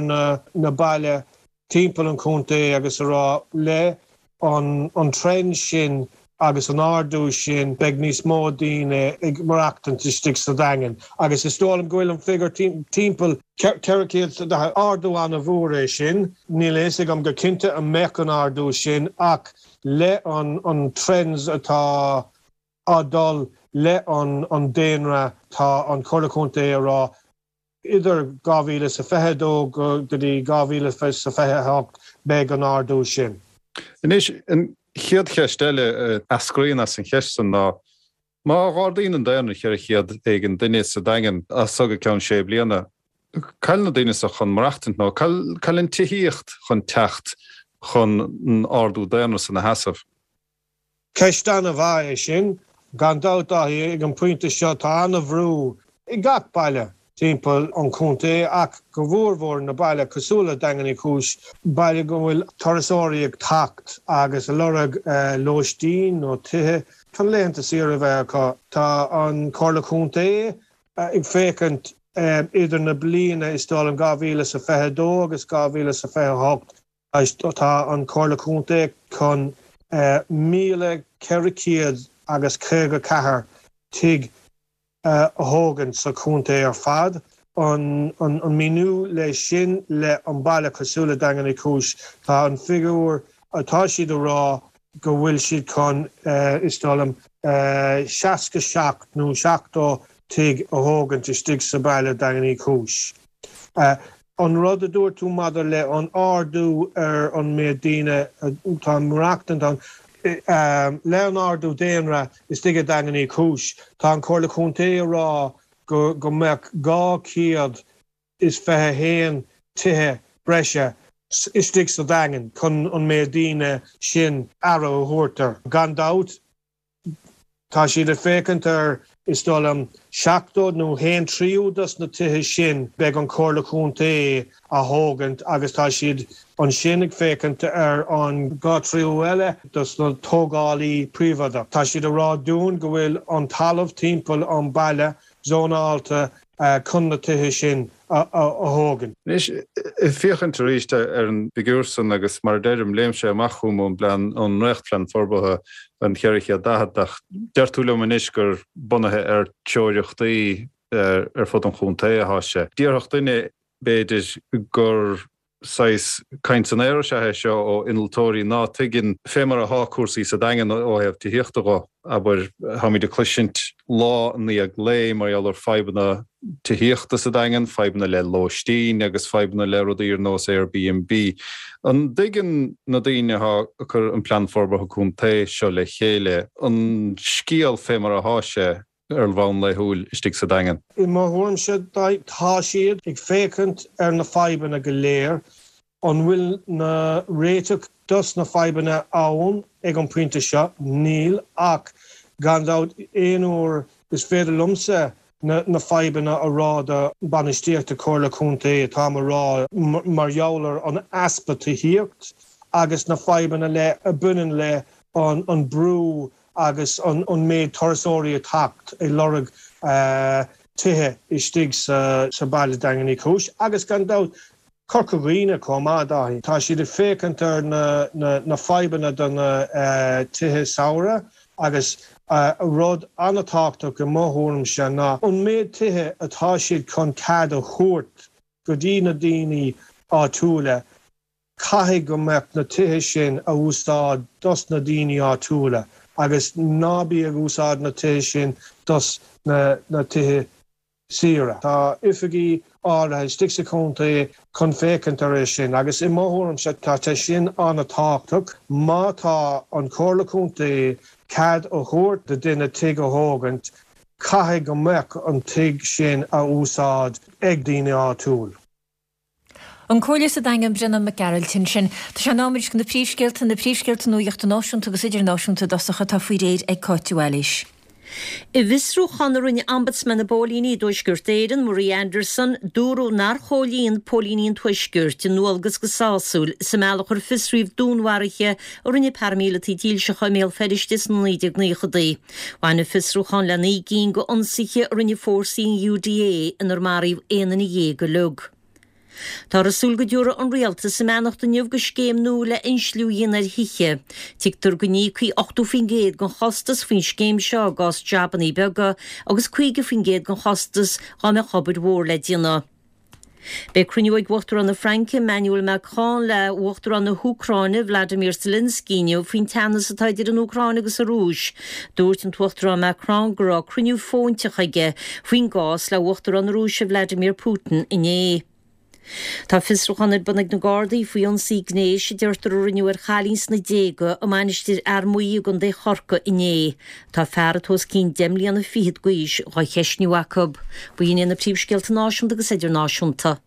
na baile timpeall an chontae agus a rá le an trend sin agus an ardú sin beidh níos mó daoine ag maireachtaint istigh sa Daingean agus is dóigh liom go bhfuil an figiúr timpeall 400, ardú an-mhór é sin. Níl a fhios agam go cinnte an mbeadh an ardú sin ach le an trends atá á dul le an daonra tá an Chomhairle Contae a rá Idir 2022 go dtí 2028 beidh an ardú sin. Anois, an chéad cheist eile a eascraíonn as an cheist san ná, má ardaíonn an daonra 400 éigin duine sa Daingean as so go ceann sé bliana, cá'il na daoine so chun maireachtaint nó cá'il an tithíocht chun teacht chun an ardú daonra san a sheasamh? Ceist an-mhaith é sin. Gan dabht, Dáithí, ag an bpointe seo tá an-bhrú i gach baile timpeall an chontae ach go mhórmhór na baile cosúil le Daingean Uí Chúis, baile go bhfuil turasóirí ag teacht agus ag lorg lóistín nó tithe chun laethanta saoire a bheith acu. Tá an Chomhairle Contae ag féachaint idir na bliana is dóigh liom 2022 agus 2028 Tá an Chomhairle Contae chun 1,454 tigh a thógaint sa chontae ar fad. An míniú leis sin le an baile cosúil le Daingean Uí Chúis, tá an figiúr atá siad a rá go bhfuil siad chun, is dóigh liom, 67 nó 70 tigh a thógaint istigh sa baile Daingean Uí Chúis. An rud a dúirt tú maidir le an ardú ar an méid daoine atá ag maireachtaint ann, le an ardú daonra istigh i Daingean Uí Chúis, tá an Chomhairle Contae ag rá go mbeadh 221 tithe breise istigh sa Daingean chun an méid daoine sin aire a thabhairt air. Gan dabht, Tá siad ag féachaint ar Is dóigh liom 70 nó haon tríú dos na tithe sin beidh an Comhairle Contae á thógaint agus tá siad ansin ag féachaint ar an 2 tríú eile dos na tógálaí príobháideach. Tá siad ag rá dúinn go bhfuil an talamh timpeall an baile zónálta chun na tithe sin a thógaint. Anois, ag féachaint arís ar an bhfigiúr san agus mar a deirim, léim sé amach chugam ón bplean, ón ndréachtphlean forbartha, an 440, ach deir tú liom anois gur bunaithe ar teoiriochtaí ar fud an chontae atá sé. Déarfadh duine, b'fhéidir, gur saghas caint san aer is ea é seo ó innealtóirí ná tuigeann fé mar athá cúrsaí sa Daingean ó thaobh tithíochta dho. Abair, táimid ag cloisint lá i ndiaidh lae mar gheall ar fadhbanna tithíochta sa Daingean, fadhbanna le lóistín agus fadhbanna le rudaí ar nós Airbnb. An dtuigeann na daoine athá ag cur an Plean Forbartha Contae seo le chéile an scéal fé mar athá sé? ar bhonn laethúil istigh sa Daingean. I mo thuairimse, tá siad ag féachaint ar na fadhbanna go léir. An bhfuil na réiteach dos na fadhbanna ann ag an pointe seo? Níl, ach gan dabht aon uair is féidir liomsa na fadhbanna a rá do bainistíocht Comhairle Contae, táim a rá mar gheall ar an easpa tithíocht agus na fadhbanna le a bhaineann le an brú agus an méid turasóirí ag teacht ag lorg tithe istigh sa baile Daingean Uí Chúis agus gan dabht Corca Dhuibhne chomh maith, Dáithí. Tá siad ag féachaint ar na fadhbanna do na tithe samhraidh agus rud an-tábhachtach i mo thuairimse ná an méid tithe atá siad chun cead a thabhairt go dtí na daoine áitiúla Caithfidh go mbeadh na tithe sin a úsáid dos na daoine áitiúla agus ná bí ag úsáid na tithe sin dos na tithe saoire. Tá oifigí áirithe istigh sa chontae chun féachaint ar é sin agus i mo thuairimse tá sé sin an-tábhachtach. Má tá an Chomhairle Contae cead a thabhairt do duine tigh a thógaint, caithfidh go mbeadh an tigh sin a úsáid ag daoine áitiúil. An Comhairleoir sa Daingean, Breandán Mac Gearailt ansin. Tá sé in am anois do na príomhscéalta, na príomhscéalta nuachta náisiúnta agus idirnáisiúnta i dtosach atá faoi réir ag Cáit de Bhailís. I bhfiosrúchán a rinne Ombudsman na bPóilíní i dTuaisceart Éireann, Marie Anderson, dúradh nár chomhlíon póilíní an Tuaiscirt a ndualgas go sásúil sa mbealach ar fiosraíodh dúnmharuithe a rinne paraimíleataigh dílseacha i mBéal Feirste sna 1990idí. Bhain an fiosrúchán le 9 gcinn d'ionsaithe a rinne fórsaí an UDA inar maraíodh 11 duine uilig. Táthar ag súil go dtabharfaidh an Rialtas a mbeannacht inniu do scéim nua le insliú a dhéanamh ar thithe. Tuigtear go n-íocfaí 80% den chostas faoin scéim seo i gcás jabannaí beaga agus 50% den chostas dá mbeadh obair mhór le déanamh. Beidh cruinniú ag Uachtarán na Fraince, Emmanuel Macron, le hUachtarán na hÚcráine, Vladimir Zelensky inniu faoin teannas atá idir an Úcráin agus an Rúis. Dúirt an tUachtarán Macron go raibh cruinniú fóinteach aige faoin gcás le Uachtarán na Rúise Vladimir Putin inné. Tá fiosrúchán ar bun ag na Gardaí faoi ionsaí gnéis a deirtear a rinneadh ar chailín sna déaga i Mainistir Fhear Maí i gContae Chorcaí inné. Tá fear atá os cionn deich mbliana fichead d'aois dhá cheistniú acu. B'in iad na príomhscéalta náisiúnta agus idirnáisiúnta.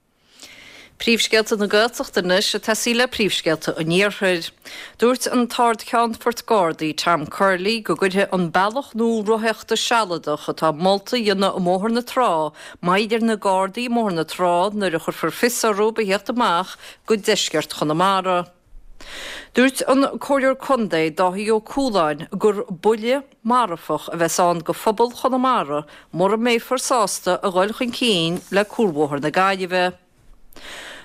Príomhscéalta na Gaeltachta anois ag tosaí le príomhscéalta an Iarthair. Dúirt an tArd-Cheannfort Gardaí Tom Curley go gcuirfidh an bealach nua rothaíochta sealadach atá molta a dhéanamh i mBóthar na Trá moill ar na Gardaí i mBóthar na Trá nuair a chuirfear fios orthu a theacht amach go deisceart Chonamara. Dúirt an Comhairleoir Contae Dáithí Ó Cualáin gur buille marfach a bheas ann do phobal Chonamara mura mbeifear sásta a dhul chun cinn le Cuarbhóthar na Gaillimhe.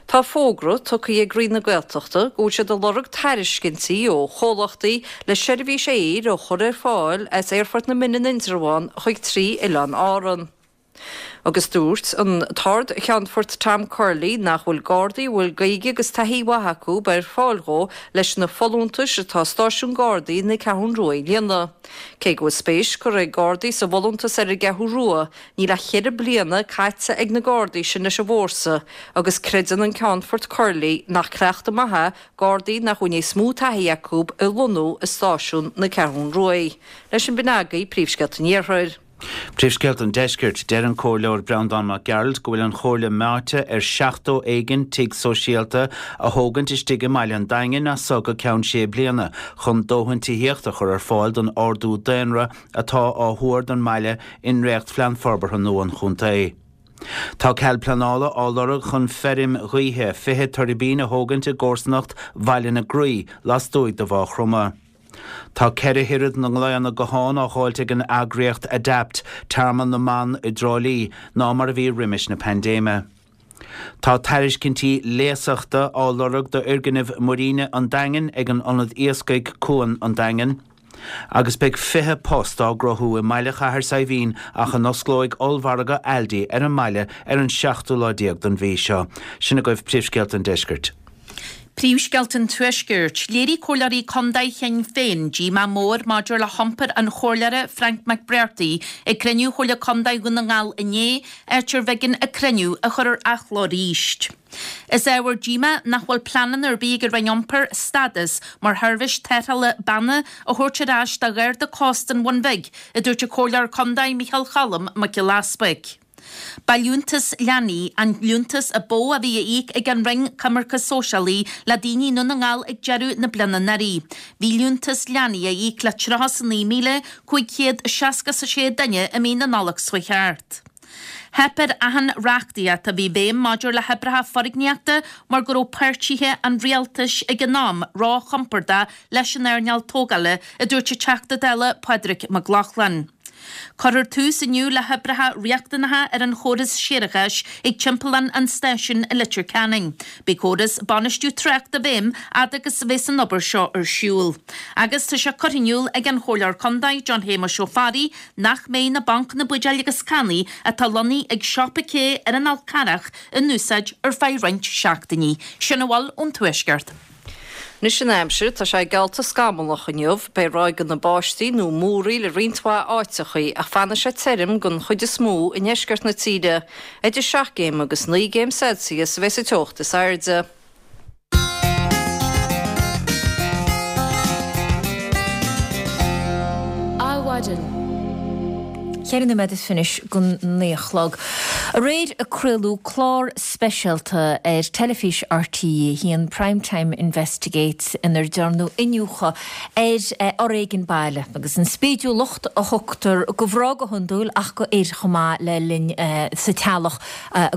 Tá fógra tugtha ag Roinn na Gaeltachta go bhfuil siad ag lorg tairiscintí ó chomhlachtaí le seirbhís aeir a chur ar fáil as Aerfort na Mine in Indreabhán chuig 3 oileán Árann. Agus dúirt an tArd-Cheannfort Tom Curley nach bhfuil Gardaí a bhfuil Gaeilge agus taithí mhaith acu ar fáil dhó leis na folúntais atá stáisiún Gardaí na Ceathrún Rua a líonadh. Cé go bhfuil spéis curtha ag Gardaí sa bhfolúntas ar an gCeathrú Rua, níl ach cheithre bliana caite ag na Gardaí sin leis an bhfórsa agus creideann an Ceannfort Curley nach cleachtadh maith é Gardaí nach bhfuil níos mó taithí acu a lonnú i stáisiún na Ceathrún Ruaidh. Leis sin b'in agaibh príomhscéalta an Iarthair. Príomhscéalta an Deiscirt, Deir an Comhairleoir Breandán Mac Gearailt go bhfuil an Chomhairle meáite ar 70 éigin tigh sóisialta a thógaint istigh i mbaile an Daingin as so go ceann sé bliana chun dóthain tithíochta a chur ar fáil don ardú daonra atá á thuar don mbaile i ndréachtphlean forbartha nua an chontae. Tá cead pleanála á lorg chun feirm ghaoithe 20 tuirbín a thógaint i gcomharsanacht Bhaile na Graí lastuaidh de Mhaigh Chromtha. Tá 4 oiread na nglaonna guthán á dháilt ag an eagraíocht Adapt, Tearmann na mBan i dTrá Lí, ná mar a bhí roimis na paindéime. Tá tairiscintí léasachta á lorg d'fhoirgneamh Muiríne an Daingin ag an Ionad Iascaigh, Cuan an Daingin. Agus beidh 20 post á gcruthú i mbaile Chathair Saidhbhín ach a n-osclóidh ollmhargadh Aldi ar an mbaile ar an seachtú lá déag den mhí seo. Sin agaibh príomhscéalta an deiscirt. Príomhscéalta an Tuaiscirt. Léirigh Comhairleoirí Contae Shinn Féin díomá mór maidir le hiompar an Chomhairleora Frank McBrearty ag cruinniú Chomhairle Contae Dhún na nGall inné, áit arbh éigean an cruinniú a chur ar athló arís. Is ábhar díomá nach bhfuil pleananna ar bith ag an Roinn Iompair stádas mar sheirbhís tarrthála banna a thabhairt ar ais do Gharda Cósta an Bhun Bhig, a dúirt an Comhairleoir Contae Micheál Cholm Mac Giolla Easbuig. Ba liúntas leanaí an liúntas a ba mhó a bhí á íoc ag an Roinn Coimirce Sóisialaí le daoine i nDún na nGall ag deireadh na bliana anuraidh. Bhí liúntas leanaí á íoc le 39,566 duine i mí na Nollag seo chuaigh thart. Theip ar achan reachtaíocht a bhí i bhfeidhm maidir le hoibreacha foirgníochta mar go raibh páirtithe an rialtais ag an am róchompordach leis an earnáil tógála, a dúirt an Teachta Dála Pádraig Mac Lochlainn. Cuirfear tús inniu le hoibreacha riachtanacha ar an chóras séarachais ag timpeallán an stáisiúin i Leitir Ceanainn. Beidh córas bainistiú tráchta i bhfeidhm fhad agus a bheas an obair seo ar siúl. Agus tá sé curtha in iúl ag an Chomhairleoir Contae John Shéamuis Ó Fearraigh nach mbeidh na bancanna buidéil agus cannaí atá lonnaithe ag Siopa K ar an Fhál Carrach in úsáid ar feadh roinnt seachtainí. Sin a bhfuil ón Tuaisceart. Anois an aimsir, tá sé geallta scamallach inniu. Beidh ráigeanna báistí nó múraíl i roinnt mhaith áiteachaí ach fanfaidh sé tirim den chuid is mó i ndeisceart na tíre. Idir 7 gcéim agus 9 gcéim Celsius a bheas an teocht is airde. Adhmhaidin. 4 nóiméad is fiche go 9 a chlog. Aréir a craoladh clár speisialta ar teilifís RTÉ 1, Prime Time Investigates, inar dearnadh iniúchadh ar fhoréigean baile agus an spídiúlacht a thugtar go mhná go hiondúil ach go fhir chomh maith le linn sa teaghlach,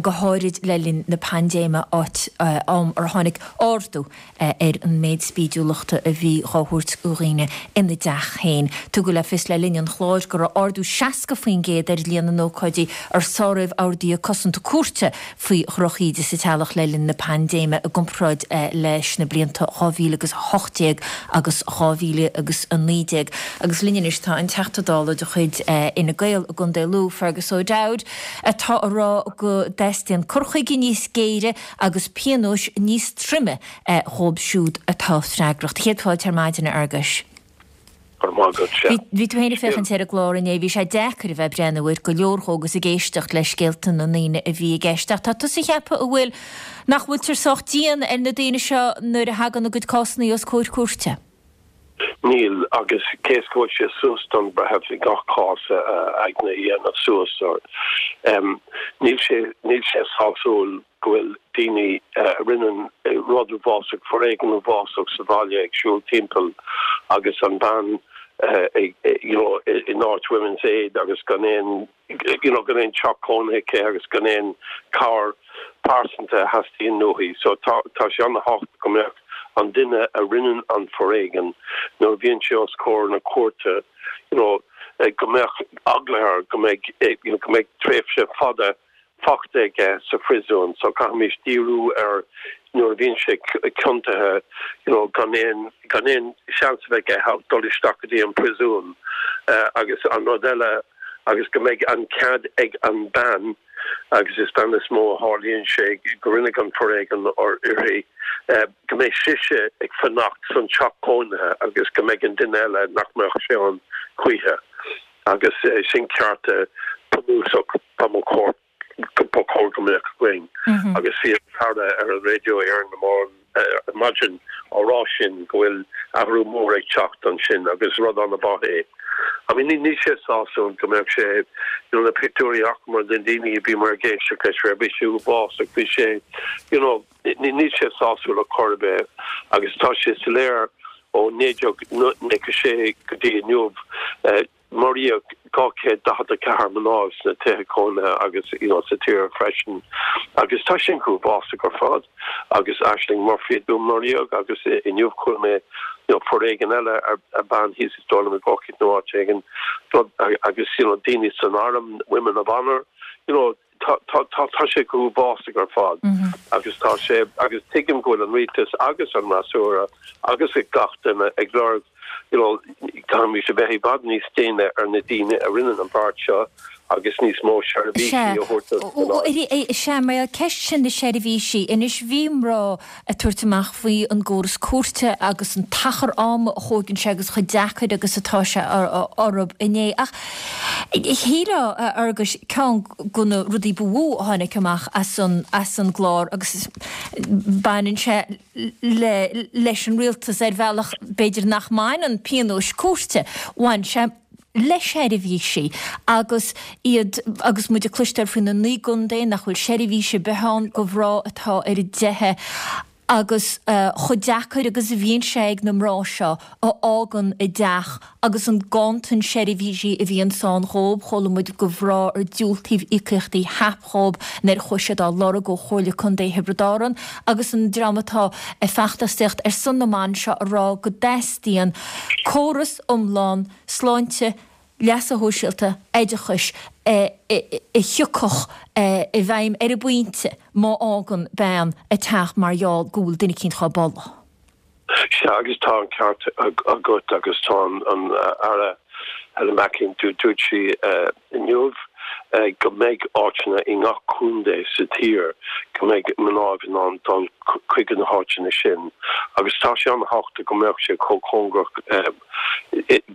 go háirid le linn na paindéime, áit am ar tháinig ardú ar an méid spídiúlachta a bhí dhá thabhairt do dhaoine ina dteach féin. Tugadh le fios le linn an chláir go raibh ardú 60% ar líon na n-ócáidí ar sáraíodh orduithe cosanta cúirte faoi dhrochíde sa teaghlach le linn na paindéime i gcomparáid leis na blianta 2018 agus 2019. Agus linn anois tá an Teachta Dála de chuid Fhine Gael i gContae Lú, Fergus O'Dowd, atá a rá go dteastaíonn cur chuige níos géire agus pionóis níos troime dhóibh siúd atá freagrach. Céad fáilte ar maidin, a Fhearghuis. Go raibh maith agat, sea. Bhí tú féin ag féachaint ar an gclár inné, bhí sé deacair a bheith ag breathnú air go leor dhó agus ag éisteacht le scéalta na ndaoine a bhí i gceist. Ach tá tusa ag ceapadh a bhfuil, nach bhfuiltear sách dian ar na daoine seo nuair a thagann a gcuid cásanna os comhair cúirte? Níl, agus cé is go bhfuil sé suas don bhreitheamh i gach cás a aigne a dhéanamh suas, níl sé, níl sé sásúil go bhfuil daoine a rinne rud uafásach, foréigean uafásach sa bhaile ag siúl timpeall agus an bhean you know in áit Women's Aid agus gan aon you know, gan aon teach cónaithe aici agus gan aon cabhair pearsanta a theastaíonn uaithi. So tá, tá sé an-thábhachtach go mbeadh an duine a rinneann an foréigean, nuair a bhíonn sé os comhair na cúirte, you know, go mbeadh eagla air go mbeidh, you know, go mbeidh tréimhse fada fachta aige sa phriosún. So caithfimís díriú ar nuair a bhíonn sé ciontaithe, you know, gan aon, gan aon seans a bheith aige ach dul isteach go dtí an priosún. Agus an rud eile, agus go mbeidh an cead ag an bean, agus is bean is mó a tharlaíonn sé, go rinneadh an foréigean uirthi, go mbeidh sise ag fanacht san teach cónaithe agus go mbeidh an duine eile nach mbeadh sé ann choíche. Agus sin cearta bunúsach ba chóir ba chóir go mbeadh againn. Agus bhí an tAire ar an raidió Éireann ar maidin á rá sin go bhfuil athrú mór ag teacht ansin agus rud an-mhaith é. I mean níl sé sásúil go mbeadh sé, you know, na pictiúirí a chonaiceamar de na daoine a bhíomar ag éisteacht leis bhí sé uafásach, bhí sé, you know, níl sé sásúil ar chor ar bith agus tá sé soiléir ó 1996 go dtí inniu, Maraíodh 244 mná sna tithe cónaithe agus you know sa tír freisin agus tá sin uafásach ar fad agus Ashling Murphy a dúnmaraíodh agus inniu chuala mé you know foréigean eile ar bean thíos is dóigh liom i gCorcaigh nó áit éigin agus you know daoine san arm, women of honour you know tá tá tá tá sé go huafásach ar fad agus tá sé agus tuigim go bhfuil an rialtas agus an fhreasúra agus ag gach duine ag lorg you know caithfimid a bheith i bhfad níos déine ar na daoine a rinne an beart seo agus níos mó seirbhísí a thabhairt do mhná. Sea, mar ceist sin na seirbhísí, anois bhí mná ag tabhairt amach faoi an gcóras cúirte agus an t-achar ama a thóigeann sé agus chomh deacair agus atá sé orthu inné. Ach shílfeá, a Fhearghuis, ceann de na rudaí ba mhó a tháinig amach as an as an gclár agus baineann sé le leis an rialtas ar bhealach b'fhéidir nach mbaineann pionóis cúirte, bhain sé le seirbhísí agus iad agus muid ag cloisteáil faoi na naoi gcontae nach bhfuil seirbhís ar bith ann do mhná atá ar a dteitheadh agus chomh deacair agus a bhíonn sé ag na mná seo a fhágann a dteach agus an ganntan seirbhísí a bhíonns ann dhóibh. Chuala muid go mhná ar diúltaíodh íocaíochtaí HAP dhóibh nuair a chuaigh siad á lorg ó Chomhairle Contae Thiobraid Árann agus an dream atá ag feachtasaíocht ar son na mban seo a rá go dteastaíonn córas iomlán sláinte, leasa shóisialta, oideachais a thiocfadh i bhfeidhm ar an bpointe má fhágann bean a teach mar gheall go bhfuil duine eicínt dhá bolladh. Sea, agus tá an ceart agat agus tá an Aire Helen McEntee, dúirt sí inniu go mbeidh áiteanna i ngach contae sa tír go mbeidh mnáibh in ann dul chuig na háiteanna sin agus tá sé an-thábhachtach go mbeadh sé chomh cóngarach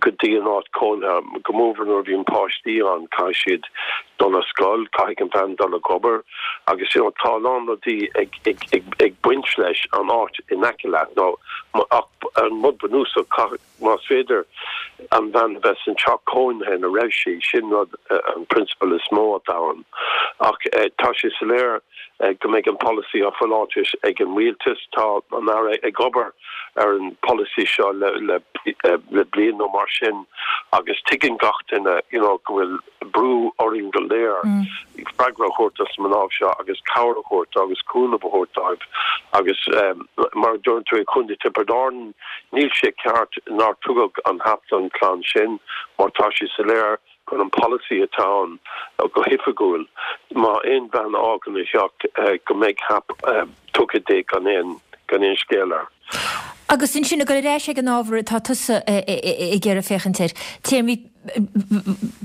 go dtí an áit cónaithe, go mórmhór nuair a bhíonn páistí ann, caithfidh siad dul ar scoil, caithfidh an bhean dul ag obair agus you know tá a lán rudaí ag ag ag ag baint leis an áit in aice leat nó ach an rud bunúsach caithfidh más féidir an bhean a bheith san teach cónaithe ina raibh sí, sin rud an prionsabal is mó atá ann. Ach tá sé soiléir go mbeidh an polasaí á phláitis ag an rialtas. Tá an Aire ag obair ar an bpolasaí seo le le bliain nó mar sin agus tuigeann gach duine you know go bhfuil brú orainn go léir freagra a thabhairt dos na mná seo agus cabhair a thabhairt agus cúnamh a thabhairt dóibh agus mar a dúirt tú i Contae Tiobraid Árann níl sé ceart nár tugadh an HAP don chlann sin mar tá sé soiléir gur an polasaí atá ann go hoifigiúil má aon bhean a fhágann a theach go mbeidh HAP tugtha di gan aon gan aon scéal air. Agus ansin ag dul ar ais ag an ábhar atá tusa ag iarraidh féachaint air, téarmaí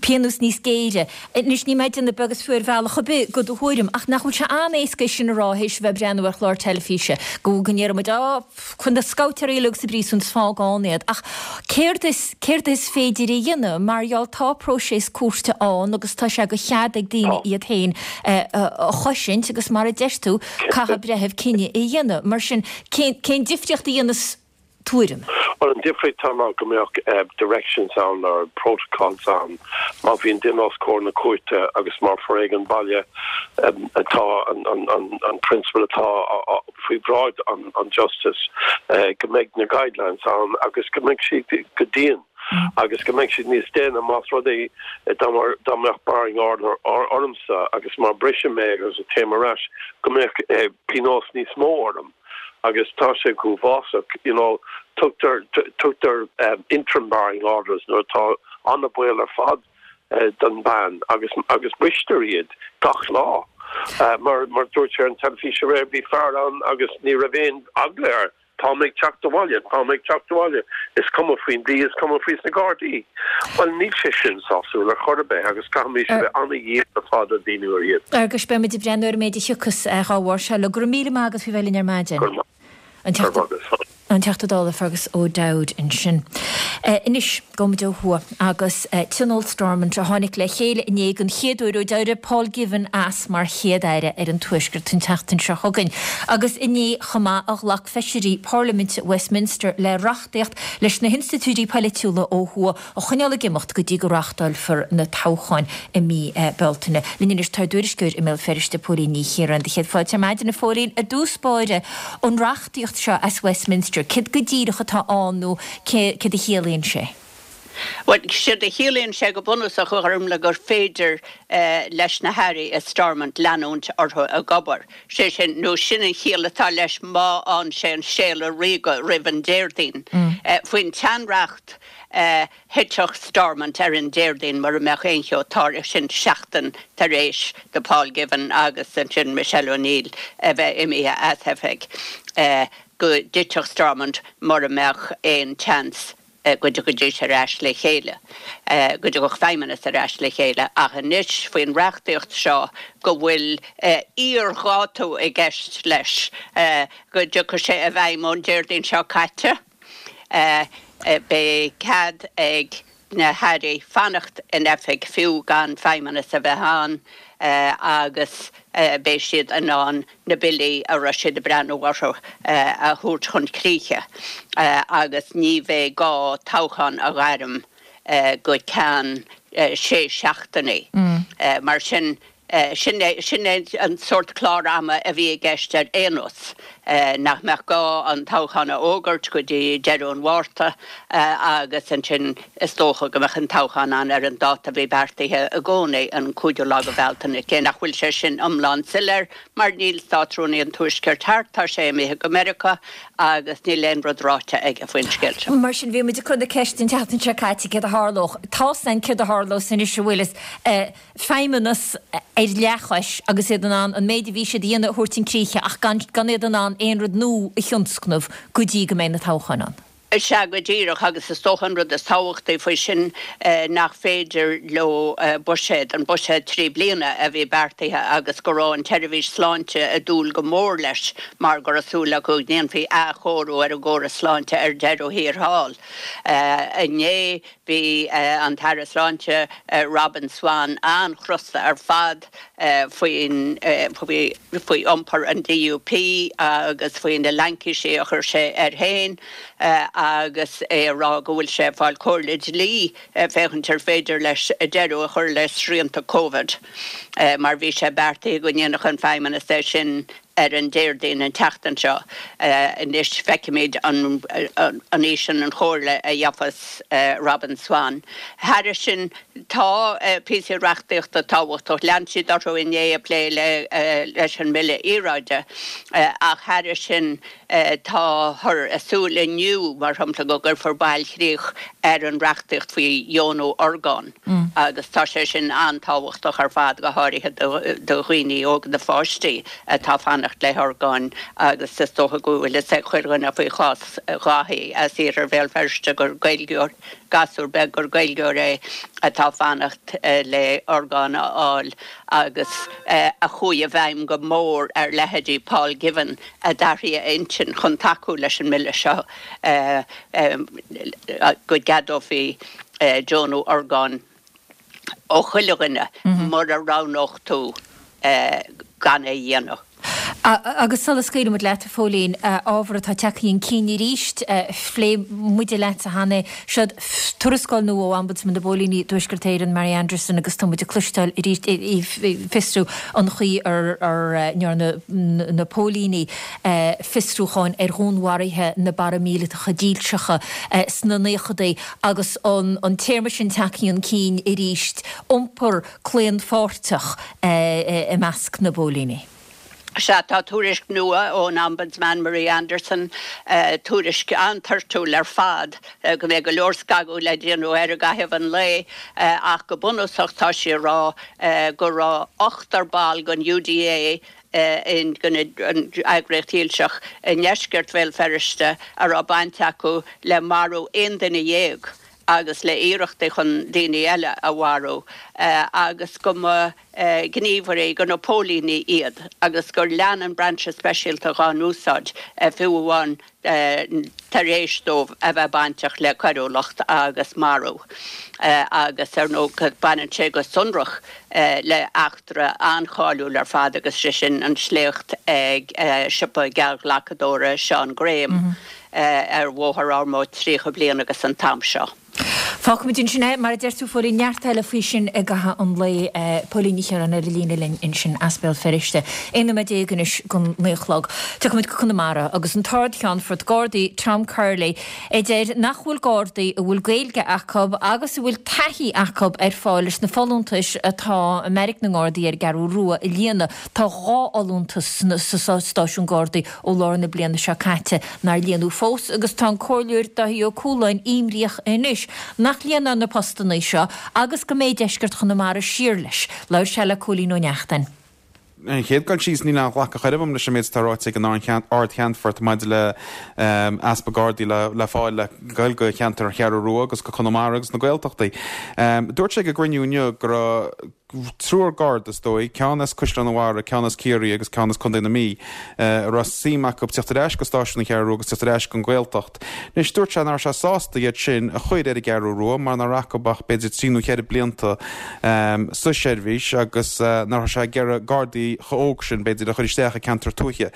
pionós níos géire. Anois níl mé ag déanamh beag is fiú ar bhealach ar bith de do thuairim, ach nach bhfuil sé an-éasca é sin a rá théis a bheith ag breathnú ar chlár teilifíse, go go ndéarfaidh muid, á, cuir na scabhtéirí uilig sa bpríosún is fág ann iad. Ach céard is, céard is féidir a dhéanamh mar gheall tá próiseas cúirte ann agus tá sé de chead ag daoine iad féin a chosaint agus mar a deir tú, caithfidh breitheamh cinneadh a dhéanamh. Mar sin, cén, cén difríocht a dhéanfas tuairim? Bhuel, an difríocht atá ná go mbeadh directions ann or protocols ann má bhíonn duine os comhair na cúirte agus má foréigean baile atá an, an, an, an prionsabal atá faoi bhráid an, an justice, go mbeidh na guidelines ann agus go mbeidh siad go dian agus go mbeidh siad níos déine más rud é dá mbeadh barring order ormsa agus má brisim é agus téim ar ais go mbeadh pionós níos mó orm agus tá sé go huafásach you know tugtar tugtar interim barring orders nuair atá an-bhaol ar fad don bhean agus agus bristear iad gach lá mar mar dúirt sé ar an teilifís aréir bhí fear ann agus ní raibh aon eagla air Tá mé ag teacht abhaile, tá mé ag teacht abhaile, is cuma faoin dlí, is cuma faoi sna Gardaí. Bhuel, níl sé sin sásúil ar chor ar bith agus caithfimid a bheith an-dhian ar fad ar daoine ar iad. Agus beidh muid ag breathnú ar an méid a thiocfas dá bharr seo. Go raibh míle maith agat faoi bheith linn ar maidin. Go raibh maith agat. An Teachta Dála Fergus O'Dowd ansin. Anois, gabhfaimid ó thuaidh agus Tionól Stormont a tháinig le chéile inné den chéad uair ó d'éirigh Paul Givan as mar Chéad-Aire ar an Tuaisceart an tseachtain seo chugainn. Agus inné chomh maith a ghlac feisirí Parlaiminte Westminster le reachtaíocht leis na hinstitiúidí poilitiúla ó thuaidh a choinneáil ag imeacht go dtí go reáchtálfar na toghcháin i mí Bealtaine. Linn anois tá ár dtuairisceoir i mBéal Feirste, Póilín Ní Chiaráin. Do chéad fáilte ar maidin, a Phóilín. I dtús báire, an reachtaíocht seo as Westminster, céard go díreach atá ann nó céard a chiallaíonn sé? Bhuel, séard a chiallaíonn sé go bunúsach, a Ghormlaith, gur féidir leis na hairí i Stormont leanúint orthu ag obair. Sé sin, nó sin an chiall atá leis má fhaigheann sé an Séala Ríoga roimh an Déardaoin. Faoin tseanreacht, Thitfeadh Stormont ar an Déardaoin mura mbeadh aon cheo tarlaithe, sin seachtain tar éis do Paul Givan agus ansin Michelle O'Neill a bheith imithe as oifig, go dtitfeadh Stormont mura mbeadh aon tseans go dtiocfaidís ar ais le chéile, go dtiocfadh Feidhmeannas ar ais le chéile. Ach anois, faoin reachtaíocht seo, go bhfuil iardhátú i gceist leis, go dtiocfaidh sé i bhfeidhm ón Déardaoin seo caite. Beidh cead ag na hairí fanacht in oifig fiú gan feidhmeannas a bheith ann agus beidh siad in ann na billí a raibh siad ag breathnú orthu a thabhairt chun críche agus ní bheidh gá toghchán a ghairm go ceann sé seachtainí. Mar sin Sin é, sin é an sórt clár ama a bhí i gceist ar aon nós, nach mbeadh gá an toghchán a fhógairt go dtí deireadh an Mhárta agus ansin is dócha go mbeadh an toghchán ann ar an dáta a bhí beartaithe i gcónaí, an cúigiú lá de Bhealtaine, cé nach bhfuil sé sin iomlán soiléir mar níl Státrúnaí an Tuaiscirt thart, tá sé imithe go Meiriceá agus níl aon rud ráite aige faoin scéal seo. Mar sin, bhí muid ag cur na ceiste an tseachtain seo caite céard a tharlódh. Tá's againn céard a tharlós anois a bhfuil fhios. Feidhmeannas ar leathchois agus iad in ann an méid a bhí siad a dhéanamh a thabhairt chun críche ach gan gan iad in ann aon rud nua a thionscnamh go dtí go mbeidh na toghcháin ann. Sea, go díreach, agus is dócha an rud is tábhachtaí faoi sin nach féidir leo buiséad, an buiséad 3 bliana a bhí beartaithe agus go raibh an tseirbhís sláinte ag dúil go mór leis mar go raibh súil acu go ndéanfaí athchóiriú ar an gcóras sláinte ar deireadh thiar thall. Inné Bhí an tAire Sláinte Robin Swann an-chrosta ar fad faoin faoi iompar an DUP agus faoi na laincisí a chuir sé air féin agus é ag rá go bhfuil sé ag fáil comhairle dlí féachaint ar féidir leis deireadh a chur le srianta Covid mar bhí sé beartaithe go ndéanfadh an Feidhmeannas é sin ar an Déardaoin an tseachtain seo. Anois feicfimid an í sin an chomhairle a gheofas Robin Swann. Thairis sin, tá píosaí reachtaíochta tábhachtach. Lean siad orthu inné ag plé leis an mBille Aeráide ach thairis sin táthar ag súil inniu, mar shampla, go gcuirfear bailchríoch ar an reachtaíocht faoi dheonú orgán agus tá sé sin an-tábhachtach ar fad, go háirithe do dhaoine óga, do pháistí atá ag fanacht le horgáin agus is dócha go bhfuil fhios ag chuile dhuine faoi chás Dháithí as iarthar Bhéal Feirste gur Gaeilgeoir, gasúr beag gur Gaeilgeoir é atá ag fanacht le orgán a fháil agus a chuaigh i bhfeidhm go mór ar leithéidí Paul Givan a d'athraigh a intinn chun tacú leis an mbille seo go gceadófaí deonú orgán ó chuile dhuine mura roghnódh tú gan é a dhéanamh. Agus sula scaoilfimid leat, a Phóilín, ábhar atá tagtha chun cinn arís, phléigh muide leatsa cheana é, seod tuarascáil nua ó Ombudsman na bPóilíní i dTuaisceart Éireann, Mary Anderson, agus tá muid ag cloisteáil arís í ag fiosrú an chaoi ar ndearna na póilíní fiosrúcháin ar dhúnmharuithe na bparaimíleatacha dílseacha sna naochadaí agus an téarma sin tagtha chun cinn arís, iompar claonpháirteach i measc na bpóilíní. Sea, tá tuairisc nua ón Ombudsman Marie Anderson, tuairisc an-toirtiúil ar fad, go mbeidh go leor scagadh le déanamh air i gcaitheamh an lae, ach go bunúsach tá sí ag rá go raibh ochtar ball den UDA, den eagraíocht dhílseach, i ndeisceart Bhéal Feirste a raibh baint acu le marú 11 duine. agus le iarrachtaí chun daoine eile a mharú agus go mba gníomhairí do na póilíní iad agus gur lean an Brainse Speisialta dhá n-úsáid fiú amháin tar éis dóibh a bheith bainteach le coiriúlacht agus marú agus ar ndóigh baineann sé go sonrach le eachtra an-cháiliúil ar fad agus sé sin an sléacht ag siopa geallghlacadóra Seán Graham ar Bhóthar Ormeau 30 bliain agus an t-am seo. Fágfaimid ansin é, mar a deir tú, Phóilín, neart eile faoi sin i gcaitheamh an lae. Póilín Ní Chiaráin ar an líne linn ansin as Béal Feirste. 11 nóiméad anois don 9 a chlog. Tiocfaimid go Conamara agus an tArd-Cheannfort Gardaí Tom Curley a deir nach bhfuil Gardaí a bhfuil Gaeilge acu agus a bhfuil taithí acu ar fáil leis na folúntais atá i mBeairic na nGardaí ar an gCeathrú Rua a líonadh. Tá 2 fholúntas sa stáisiún Gardaí ó lár na bliana seo caite nár líonadh fós agus tá an Comhairleoir Dáithí Ó Cualáin imníoch anois nach líonfar na postanna seo agus go mbeidh deisceart Chonamara siar leis. Labhair sé le Cóilín Ó Neachtain. Ar an chéad dul síos, níl aon ghlacadh chor ar bith agam leis an méid atá ráite ag an Ard-Cheannfort maidir le easpa Gardaí le fáil le goil go cheantar an Cheathrú Rua agus go Conamara agus na Gaeltachtaí. Dúirt sé ag an gcruinniú inniu go raibh triúr Garda, is dóigh, ceann as Caisleán an Bharraigh, ceann as Ciarraí agus ceann as Contae na Mí, a raibh suim acu teacht ar ais go stáisiún an Cheathrú Rua agus teacht ar ais gon Ghaeltacht. Anois, dúirt sé nach raibh sé sásta iad sin a chur ar an gCeathrú Rua mar nach raibh acu ach b'fhéidir trí nó cheithre blianta sa seirbhís agus nach raibh sé ag iarraidh Gardaí chomh óg sin, b'fhéidir, a chur isteach i gceantar tuaithe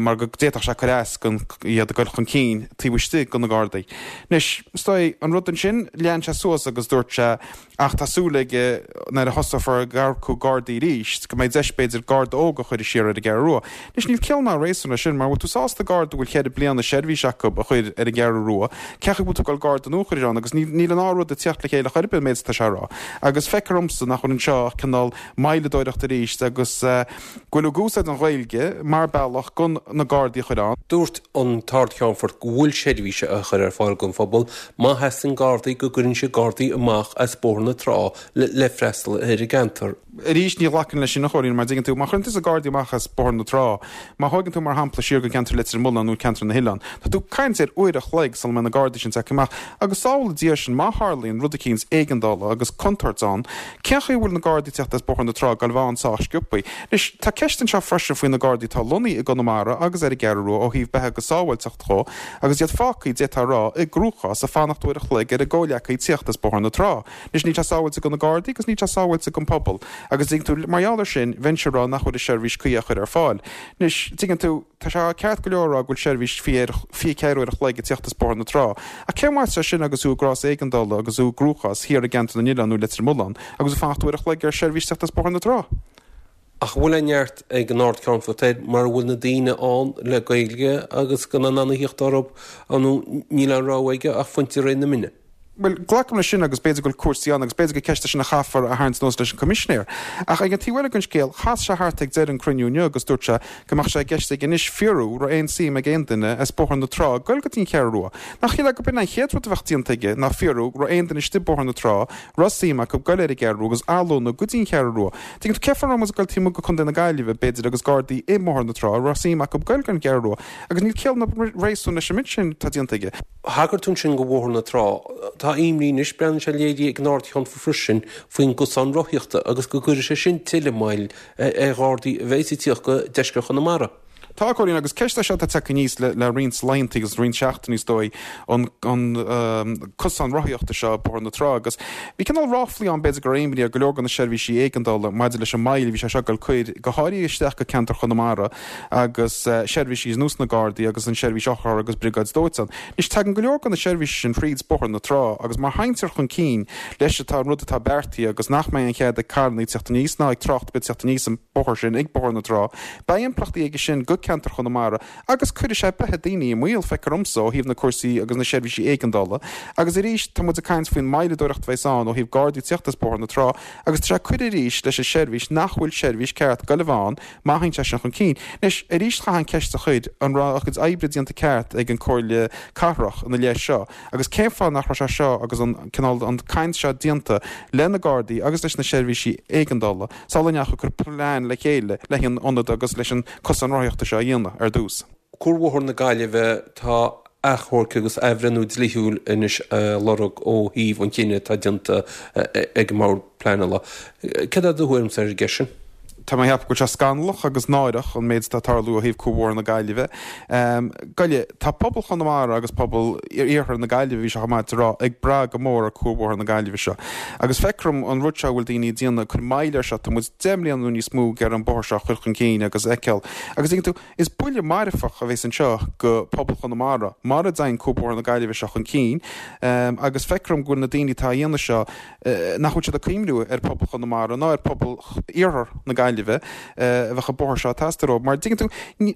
mar go d'fhéadfadh sé cur as gon iad ag dul chun cinn taobh istigh de na Gardaí. Anois, is dóigh, an rud ansin, lean sé suas agus dúirt sé, Ach tá súil aige nuair a thosófar ag earcú Gardaí arís go mbeidh deis b'fhéidir Garda óg a chur siar ar an gCeathrú Rua. Anois níl ciall ná réasún leis sin mar bhfuil tú sásta Garda a bhfuil cheithre bliana seirbhís acu a chur ar an gCeathrú Rua, cén chaoi bhfuil tú ag dul Garda nua a chur ann agus níl an dá rud ag tíocht le chéile chor ar bith an méid atá sé a rá. Agus feictear domsa nach bhfuil anseo ach cineál moilleadóireacht arís agus go bhfuil ag úsáid an Ghaeilge mar bealach gon na Gardaí a chur ann. Dúirt an tArd-Cheannfort go bhfuil seirbhís á chur ar fáil don phobal má theastaíonn Gardaí go gcuireann siad Gardaí amach as Bóthar na Trá le freastal ar an gceantar. Arís, ní ghlacfainn leis sin, a Chóilín, mar dtuigeann tú, má chuireann tusa Gardaí amach as Bóthar na Trá, má thóigeann tú, mar shampla, siar go ceantar Leitir Mealláin nó ceantar na hOileán, tá tú ag caint ar uair a chloig sula mbeidh na Gardaí sin tagtha amach. Agus sábhála Dia sinn, má tharlaíonn rud eicínt éigeandála agus contúirt ann, Cén chaoi a bhfuil na Gardaí ag teacht as Bóthar na Trá ag goil a bheith ann sách sciobthaí? Anois, tá ceist anseo freisin faoi na Gardaí atá lonnaithe i gConamara agus ar an gCeathrú Rua ó thaobh beatha agus sábháilteacht dhó agus iad fágtha, d'fhéadfá a rá, i gcruachás ag fanacht uair a chloig ar a gcomhleacaí tíocht as Bóthar na Trá. Anois, níl sé sábháilte do na Gardaí agus níl sé sábháilte don phobal. Agus tuigeann tú, mar gheall air sin, bheinnse ag rá nach bhfuil an seirbhís cuí á chur ar fáil. Anois, tuigeann tú, Tá sé ceart go leor a rá go bhfuil seirbhís 24 uair a chloig ag tíocht as Bóthar na Trá, ach cén mhaith é sin agus thú i gcás éigeandála agus thú i gcruachás thiar i gceantar na nOileán nó Leitir Mealláin agus tú ag fanacht uair a chloig ar sheirbhís tíocht as Bóthar na Trá? Ach an bhfuil an neart ag an Ard-Cheannfort air mura bhfuil na daoine ann le Gaeilge agus go mbeadh in ann a thíocht orthu nó níl aon rogha aige ach fanacht de réir na mine? Bhuel, glacaim leis sin agus b'fhéidir go bhfuil cúrsaí ann agus b'fhéidir gur ceist é sin a chaithfear a tharraingt anuas leis an Coimisinéir. Ach ag an taobh eile den scéal, chas sé thart ag deireadh an cruinniú inniu agus dúirt sé go mbeadh sé i gceist aige anois fiorú raibh aon suim ag aon duine as Bóthar na Trá goil go dtí an Cheathrú Rua. Nach shílfeá go b'in an chéad rud a bheadh déanta aige ná fiorú raibh aon duine istigh Bóthar na Trá raibh suim acu goil ar an gCeathrú Rua agus athlonnú go dtí an Cheathrú Rua. Tuigeann tú, cén fáth a raibh muid ag goil taobh amuigh go Contae na Gaillimhe, b'fhéidir, agus Gardaí i mBóthar na Trá raibh suim acu goil go an Cheathrú Rua. Agus níl ciall ná réasún leis an méid sin atá déanta aige. Thagair tú ansin go Bhóthar na Trá. Tá imní anois, breathnaíonn sé léirithe ag an Ard-Cheannfort freisin, faoin gcosán rothaíochta agus go gcuirfidh sé sin tuilleadh moill ar Ghardaí a bheas ag tíocht go deisceart Chonamara. Tá, a Chóilín, agus ceist é seo atá tagtha aníos le roinnt laethanta agus roinnt seachtainí is dóigh, an cosán rothaíochta seo ag Bóthar na Trá agus bhí cineál ráflaí ann b'fhéidir go raibh imní ar go leor de na seirbhísí éigeandála maidir leis an moill a bhí sé seo ag goil cur, go háirithe isteach go ceantar Chonamara. agus seirbhísí ar nós na Gardaí agus an seirbhís otharcharr agus briogáid dóiteáin. Anois, tagann go leor de na seirbhísí sin thríd Bóthar na Trá agus má théitear chun cinn leis atá an rud atá beartaithe agus nach mbeidh aon chead ag carrannaí teacht aníos ná ag trácht ar bith teacht aníos an bóthar sin ag Bóthar na Trá, beidh impleachtaí aige sin go ceantar Chonamara agus cuirfidh sé beatha daoine i mbaol, feictear domsa, ó thaobh na cúrsaí agus na seirbhísí éigeandála. Agus arís, tá muid ag caint faoin moilleadóireacht a bheas ann ó thaobh Gardaí teacht as Bóthar na Trá agus tá sé ag cur arís leis an seirbhís nach bhfuil seirbhís ceart ag goil a bheith ann Má théann sé sin chun cinn. Anois, arís chaithfeá an ceist a chur, an raibh a gcuid oibre déanta ceart ag an Comhairle Cathrach ina leith seo agus cén fáth nach raibh sé seo agus an cineál an caint seo déanta le na Gardaí agus leis na seirbhísí éigeandála sula ndeachaigh ag cur plean le chéile le an ionad agus leis an cosán rothaíochta seo a dhéanamh ar dtús. Cuarbhóthar na Gaillimhe, tá. Achomharc agus athbhreithniú dlíthiúil anois a lorg ó thaobh an chinnidh atá déanta ag an mBord Pleanála. Céard é do thuairimse ar an gceist sin? Tá mé ag ceapadh go bhfuil sé scannalach agus náireach an méid atá ag tarlú ó thaobh Cuarbhóthar na Gaillimhe. Goile, tá pobal Chonamara agus pobal iarthar na Gaillimhe, bhí sé chomh maith a rá, ag brath go mór ar Cuarbhóthar na Gaillimhe seo. Agus feictear dom an rud seo a bhfuil daoine ag déanamh, ag cur moill air seo, tá muid 10 mbliana nó níos mó ag iarraidh an bóthar seo a chur chun cinn agus a fheiceáil. Agus tuigeann tú, Is buille marfach a bheas anseo go pobal Chonamara mara dtagann Cuarbhóthar na Gaillimhe seo chun cinn agus feictear dom go bhfuil na daoine atá á dhéanamh seo nach bhfuil siad ag cuimhniú ar phobal Chonamara ná ar phobal iarthar na Gaillimhe a bheadh an bóthar seo ag teastáil dóibh mar dtuigeann tú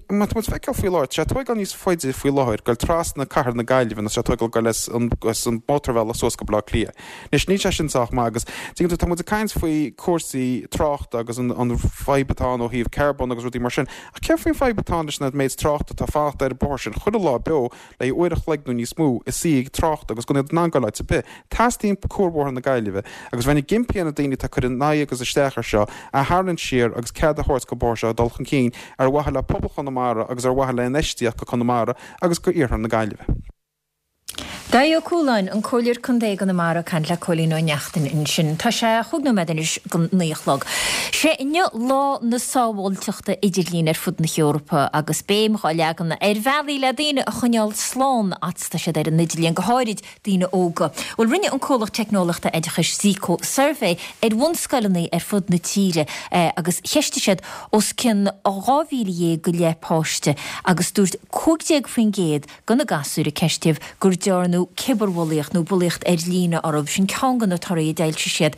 má tá muid ag feiceáil faoi láthair tá sé ag tóigeáil níos faide faoi láthair goil trasna cathair na Gaillimhe ná tá sé ag tóigeáil goil as an mótarbhealach suas go Baile Átha Cliath. Anois níl sé sin sách maith agus tuigeann tú tá muid ag caint faoi cúrsaí tráchta agus an an fadhb atá ann ó thaobh carbón agus rudaí mar sin ach céard faoin fadhb atá ann leis an méid tráchta atá ag fanacht ar an bóthar sin chuile lá beo le uair a chloig nó níos mó ina suí ag trácht agus gan iad in ann goil áit ar bith. Teastaíonn Cuarbhóthar na Gaillimhe agus bheinn ag impí ar na daoine atá ag cur in aghaidh agus isteach ar seo a tharraingt siar agus cead a thabhairt don bóthar seo dul chun cinn ar mhaithe le pobal Chonamara agus ar mhaithe le infheistíocht go Conamara agus go iarthar na Gaillimhe. Dáithí Ó Cualáin, an Comhairleoir Contae i gConamara ag caint le Cóilín Ó Neachtain ansin. Tá sé chúig nóiméad anois go naoi a chlog. Sé inniu Lá na Sábháilteachta Idirlín ar fud na hEorpa agus béim dhá leagan ar bhealaí le daoine a choinneáil slán fhad 's tá siad ar an idirlíon, go háirid daoine óga. Bhuel rinne an comhlacht teicneolaíochta oideachais Zeeko suirbhé ar bhunscoileanna ar fud na tíre agus cheistigh siad os cionn 12,000 go leith páiste agus dúirt 15% de na gasúir a ceistíodh gur dearnadh cibearbhulaíocht nó bulaíocht ar líne orthu. Sin ceann de na torthaí a d'fhoilsigh siad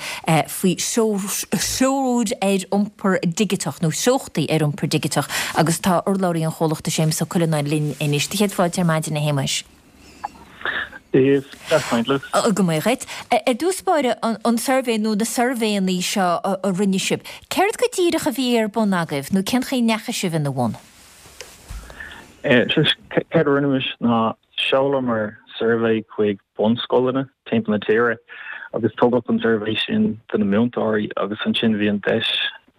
faoi threoir ar iompar digiteach nó treochtaí ar iompar digiteach agus tá urlabhraí an chomhlachta Séamus Ó Cuileanáin linn anois. Do chéad fáilte ar maidin a Shéamuis. Dia daoibh, deas caint libh. Go maith dhuit. Ar dtús báire, an suirbhé nó na suirbhéanna seo a rinne sibh, céard go díreach a bhí ar bun agaibh nó cén chaoi a ndeachaigh sibh ina bhun? Céard a rinne muid ná sheolamar suirbhé chuig bunscoileanna timpeall na tíre agus tugadh an suirbhé sin do na múinteoirí agus ansin bhí an deis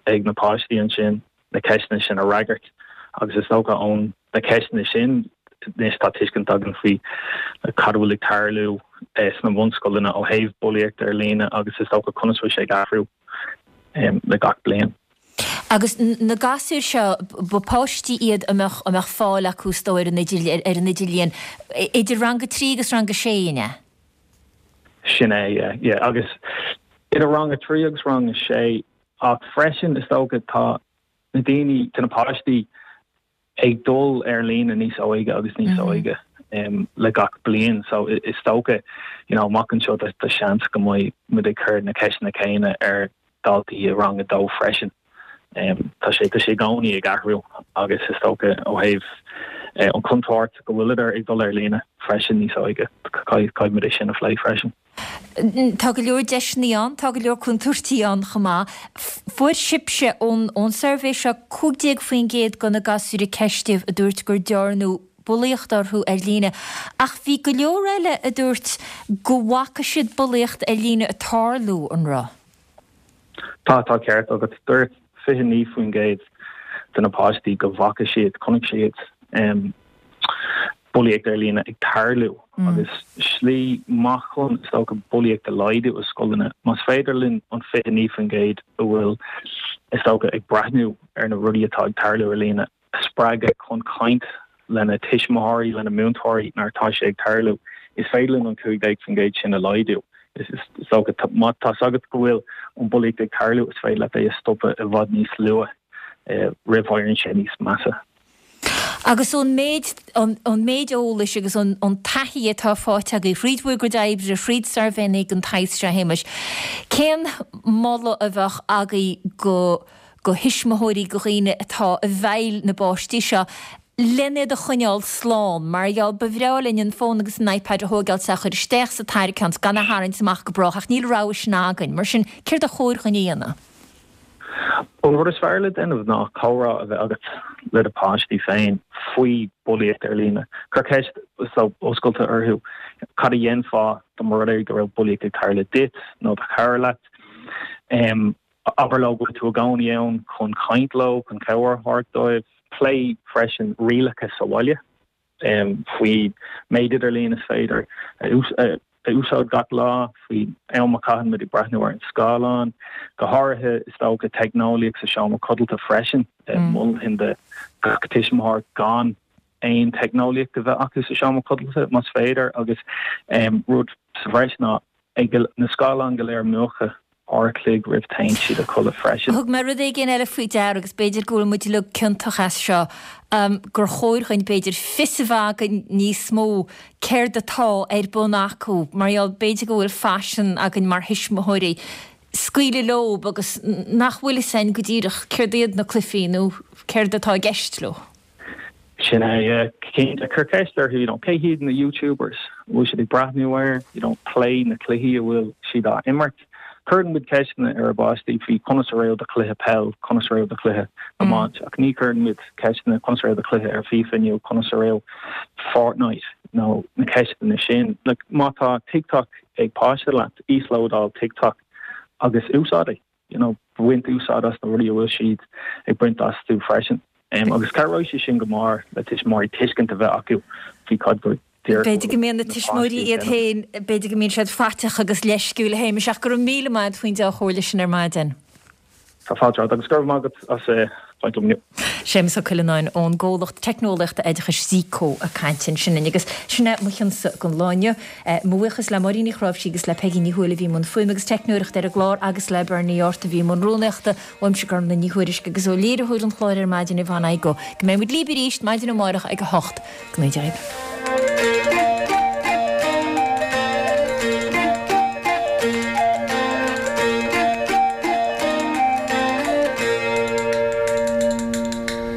ag na páistí ansin na ceisteanna sin a fhreagairt agus is dócha ón na ceisteanna sin anois tá tuiscint againn faoi cad a bhfuil ag tarlú sna bunscoileanna ó thaobh bulaíocht ar líne agus is dócha conas bhfuil sé ag athrú le gach bliain. Agus na gasúir seo, ba páistí iad a mbeadh, a mbeadh fáil acu is dóigh ar an idir, ar an idirlíon, idir rang a 3 agus rang a 6, an ea? Sin é, yeah, yeah. Agus idir rang a 3 agus rang a 6, ach freisin is dócha tá na daoine, tá na páistí ag dul ar líne níos óige agus níos óige le gach bliain so is dócha you know amach anseo tá seans go mbeidh muid ag cur na ceisteanna céanna ar dhaltaí i rang a dó freisin. Tá sé tá sé i gcónaí ag athrú agus is dócha ó thaobh an chontúirt go bhfuileadar ag dul ar líne freisin níos óige caithfidh muid é sin a phlé freisin. Tá go leor deiseanna ann, tá go leor contúirtí ann chomh maith. Fuair sibhse ón suirbhé seo 15% de na gasúir a ceistíodh a dúirt gur dearnadh bulaíocht orthu ar líne, ach bhí go leor eile a dúirt go bhfaca siad bulaíocht ar líne ag tarlú, an raibh? Tá, tá ceart agat. Dúirt 29% de na páistí go bhfaca siad, chonaic siad bulaíocht ar líne ag tarlú agus slí maith chun, is dócha, bulaíocht a laghdú i scoileanna, más féidir linn an 29% a bhfuil, is dócha, ag breathnú ar na rudaí atá ag tarlú ar líne a spreagadh chun caint lena tuismitheoirí, lena múinteoirí nuair atá sé ag tarlú, is féidir linn an 15% sin a laghdú. Is dócha, má tá's agat go bhfuil an bulaíocht ag tarlú, is féidir leat é a stopadh i bhfad níos luath roimh éiríonn sé níos measa. Agus ón méid, ón méid eolais agus ón taithí atá faighte agaibh thríd bhur gcuid oibre, thríd suirbhéanna den tsaghas seo, a Shéamais, cén moladh a bheadh agaibh go, go thuismitheoirí, go dhaoine atá i bhfeighil na bpáistí seo, len iad a choinneáil slán? Mar gheall, ba bhreá linn an fón agus an iPad a thóigeáil 's a chur isteach sa tarraiceán 's gan a tharraingt amach go brách, ach níl an rogha sin againn. Mar sin, céard a chóir dhuinn a dhéanamh? An rud is fearr le déanamh ná comhrá a bheith agat le do pháistí féin faoi bulaíocht ar líne. Cuir ceist oscailte orthu, cad a dhéanfá dá mba rud é go raibh bulaíocht ag tarlú duit nó do chara leat? Abair leo go bhfuil tú i gcónaí ann chun caint leo, chun cabhair a thabhairt dóibh. Pléigh freisin rialacha sa bhaile. Faoi méid idirlíon is féidir a úsáid gach lá, faoi am a chaitheann muid ag breathnú ar an scáileán, go háirithe is dócha teicneolaíocht sa seomra codlata freisin. Mholfainn do gach tuismitheoir gan aon teicneolaíocht a bheith acu sa seomra codlata más féidir agus rud sa bhreis ná ag na scáileáin go léir múchadh uair a chloig roimh téann siad a chodladh freisin. Thug mé rud éigin eile faoi deara agus b'fhéidir go bhfuil muid uilig ciontach as seo, gur chóir dhuinn b'fhéidir fios a bheith againn níos mó céard atá ar bun acu mar gheall b'fhéidir go bhfuil faisean againn mar thuismitheoirí scaoileadh leob agus nach bhfuil fhios againn go díreach céard iad na cluichí nó céard atá i gceist leo. Sin é, yeah. Cinnte, cuir ceist orthu, you know, cé hiad na YouTubers a bhfuil siad ag breathnú air, you know, pléigh na cluichí a bhfuil siad á imirt. Cuireann muid ceisteanna ar ár bpáistí faoi conas a raibh do chluiche peil, conas a raibh do chluiche iomáint, ach ní chuireann muid ceisteanna conas a raibh do chluiche ar FIFA inniu, conas a raibh Fortnite nó na ceisteanna sin. Like, má tá TikTok ag páiste leat, íoslódáil TikTok agus úsáid é. you know, baint úsáid as na rudaí a bhfuil siad ag baint astu freisin. Agus cabhróidh sé sin go mór le tuismitheoirí tuiscint a bheith acu faoi cad go díreach a B'fhéidir go mbíonn na tuismitheoirí iad féin, b'fhéidir go mbíonn siad faiteach agus leisciúil, a Shéamais, ach go raibh míle maith agat faoin dea-chomhairle sin ar maidin. Tá fáilte romhat agus go raibh maith agat as caint liom inniu. Séamus Ó Cuileanáin ón gcomhlacht teicneolaíochta oideachais Zeeko ag caint ansin linn. Agus sin é mo chionsa don lá inniu. Mo bhuíochas le Máirín Ní Chráimhsí agus le Peigí Ní Thuathail a bhí i mbun fuaime agus teicneoireachta ar an gclár agus le Bernie Yortt a bhí i mbun rúnaíochta. Uaimse Gormlaith Ní Thuairisg agus ó léiritheoir an chláir ar maidin Yvonne Igoe. Go mbeidh muid libh arís maidin amárach ag 8. Go mbeidh.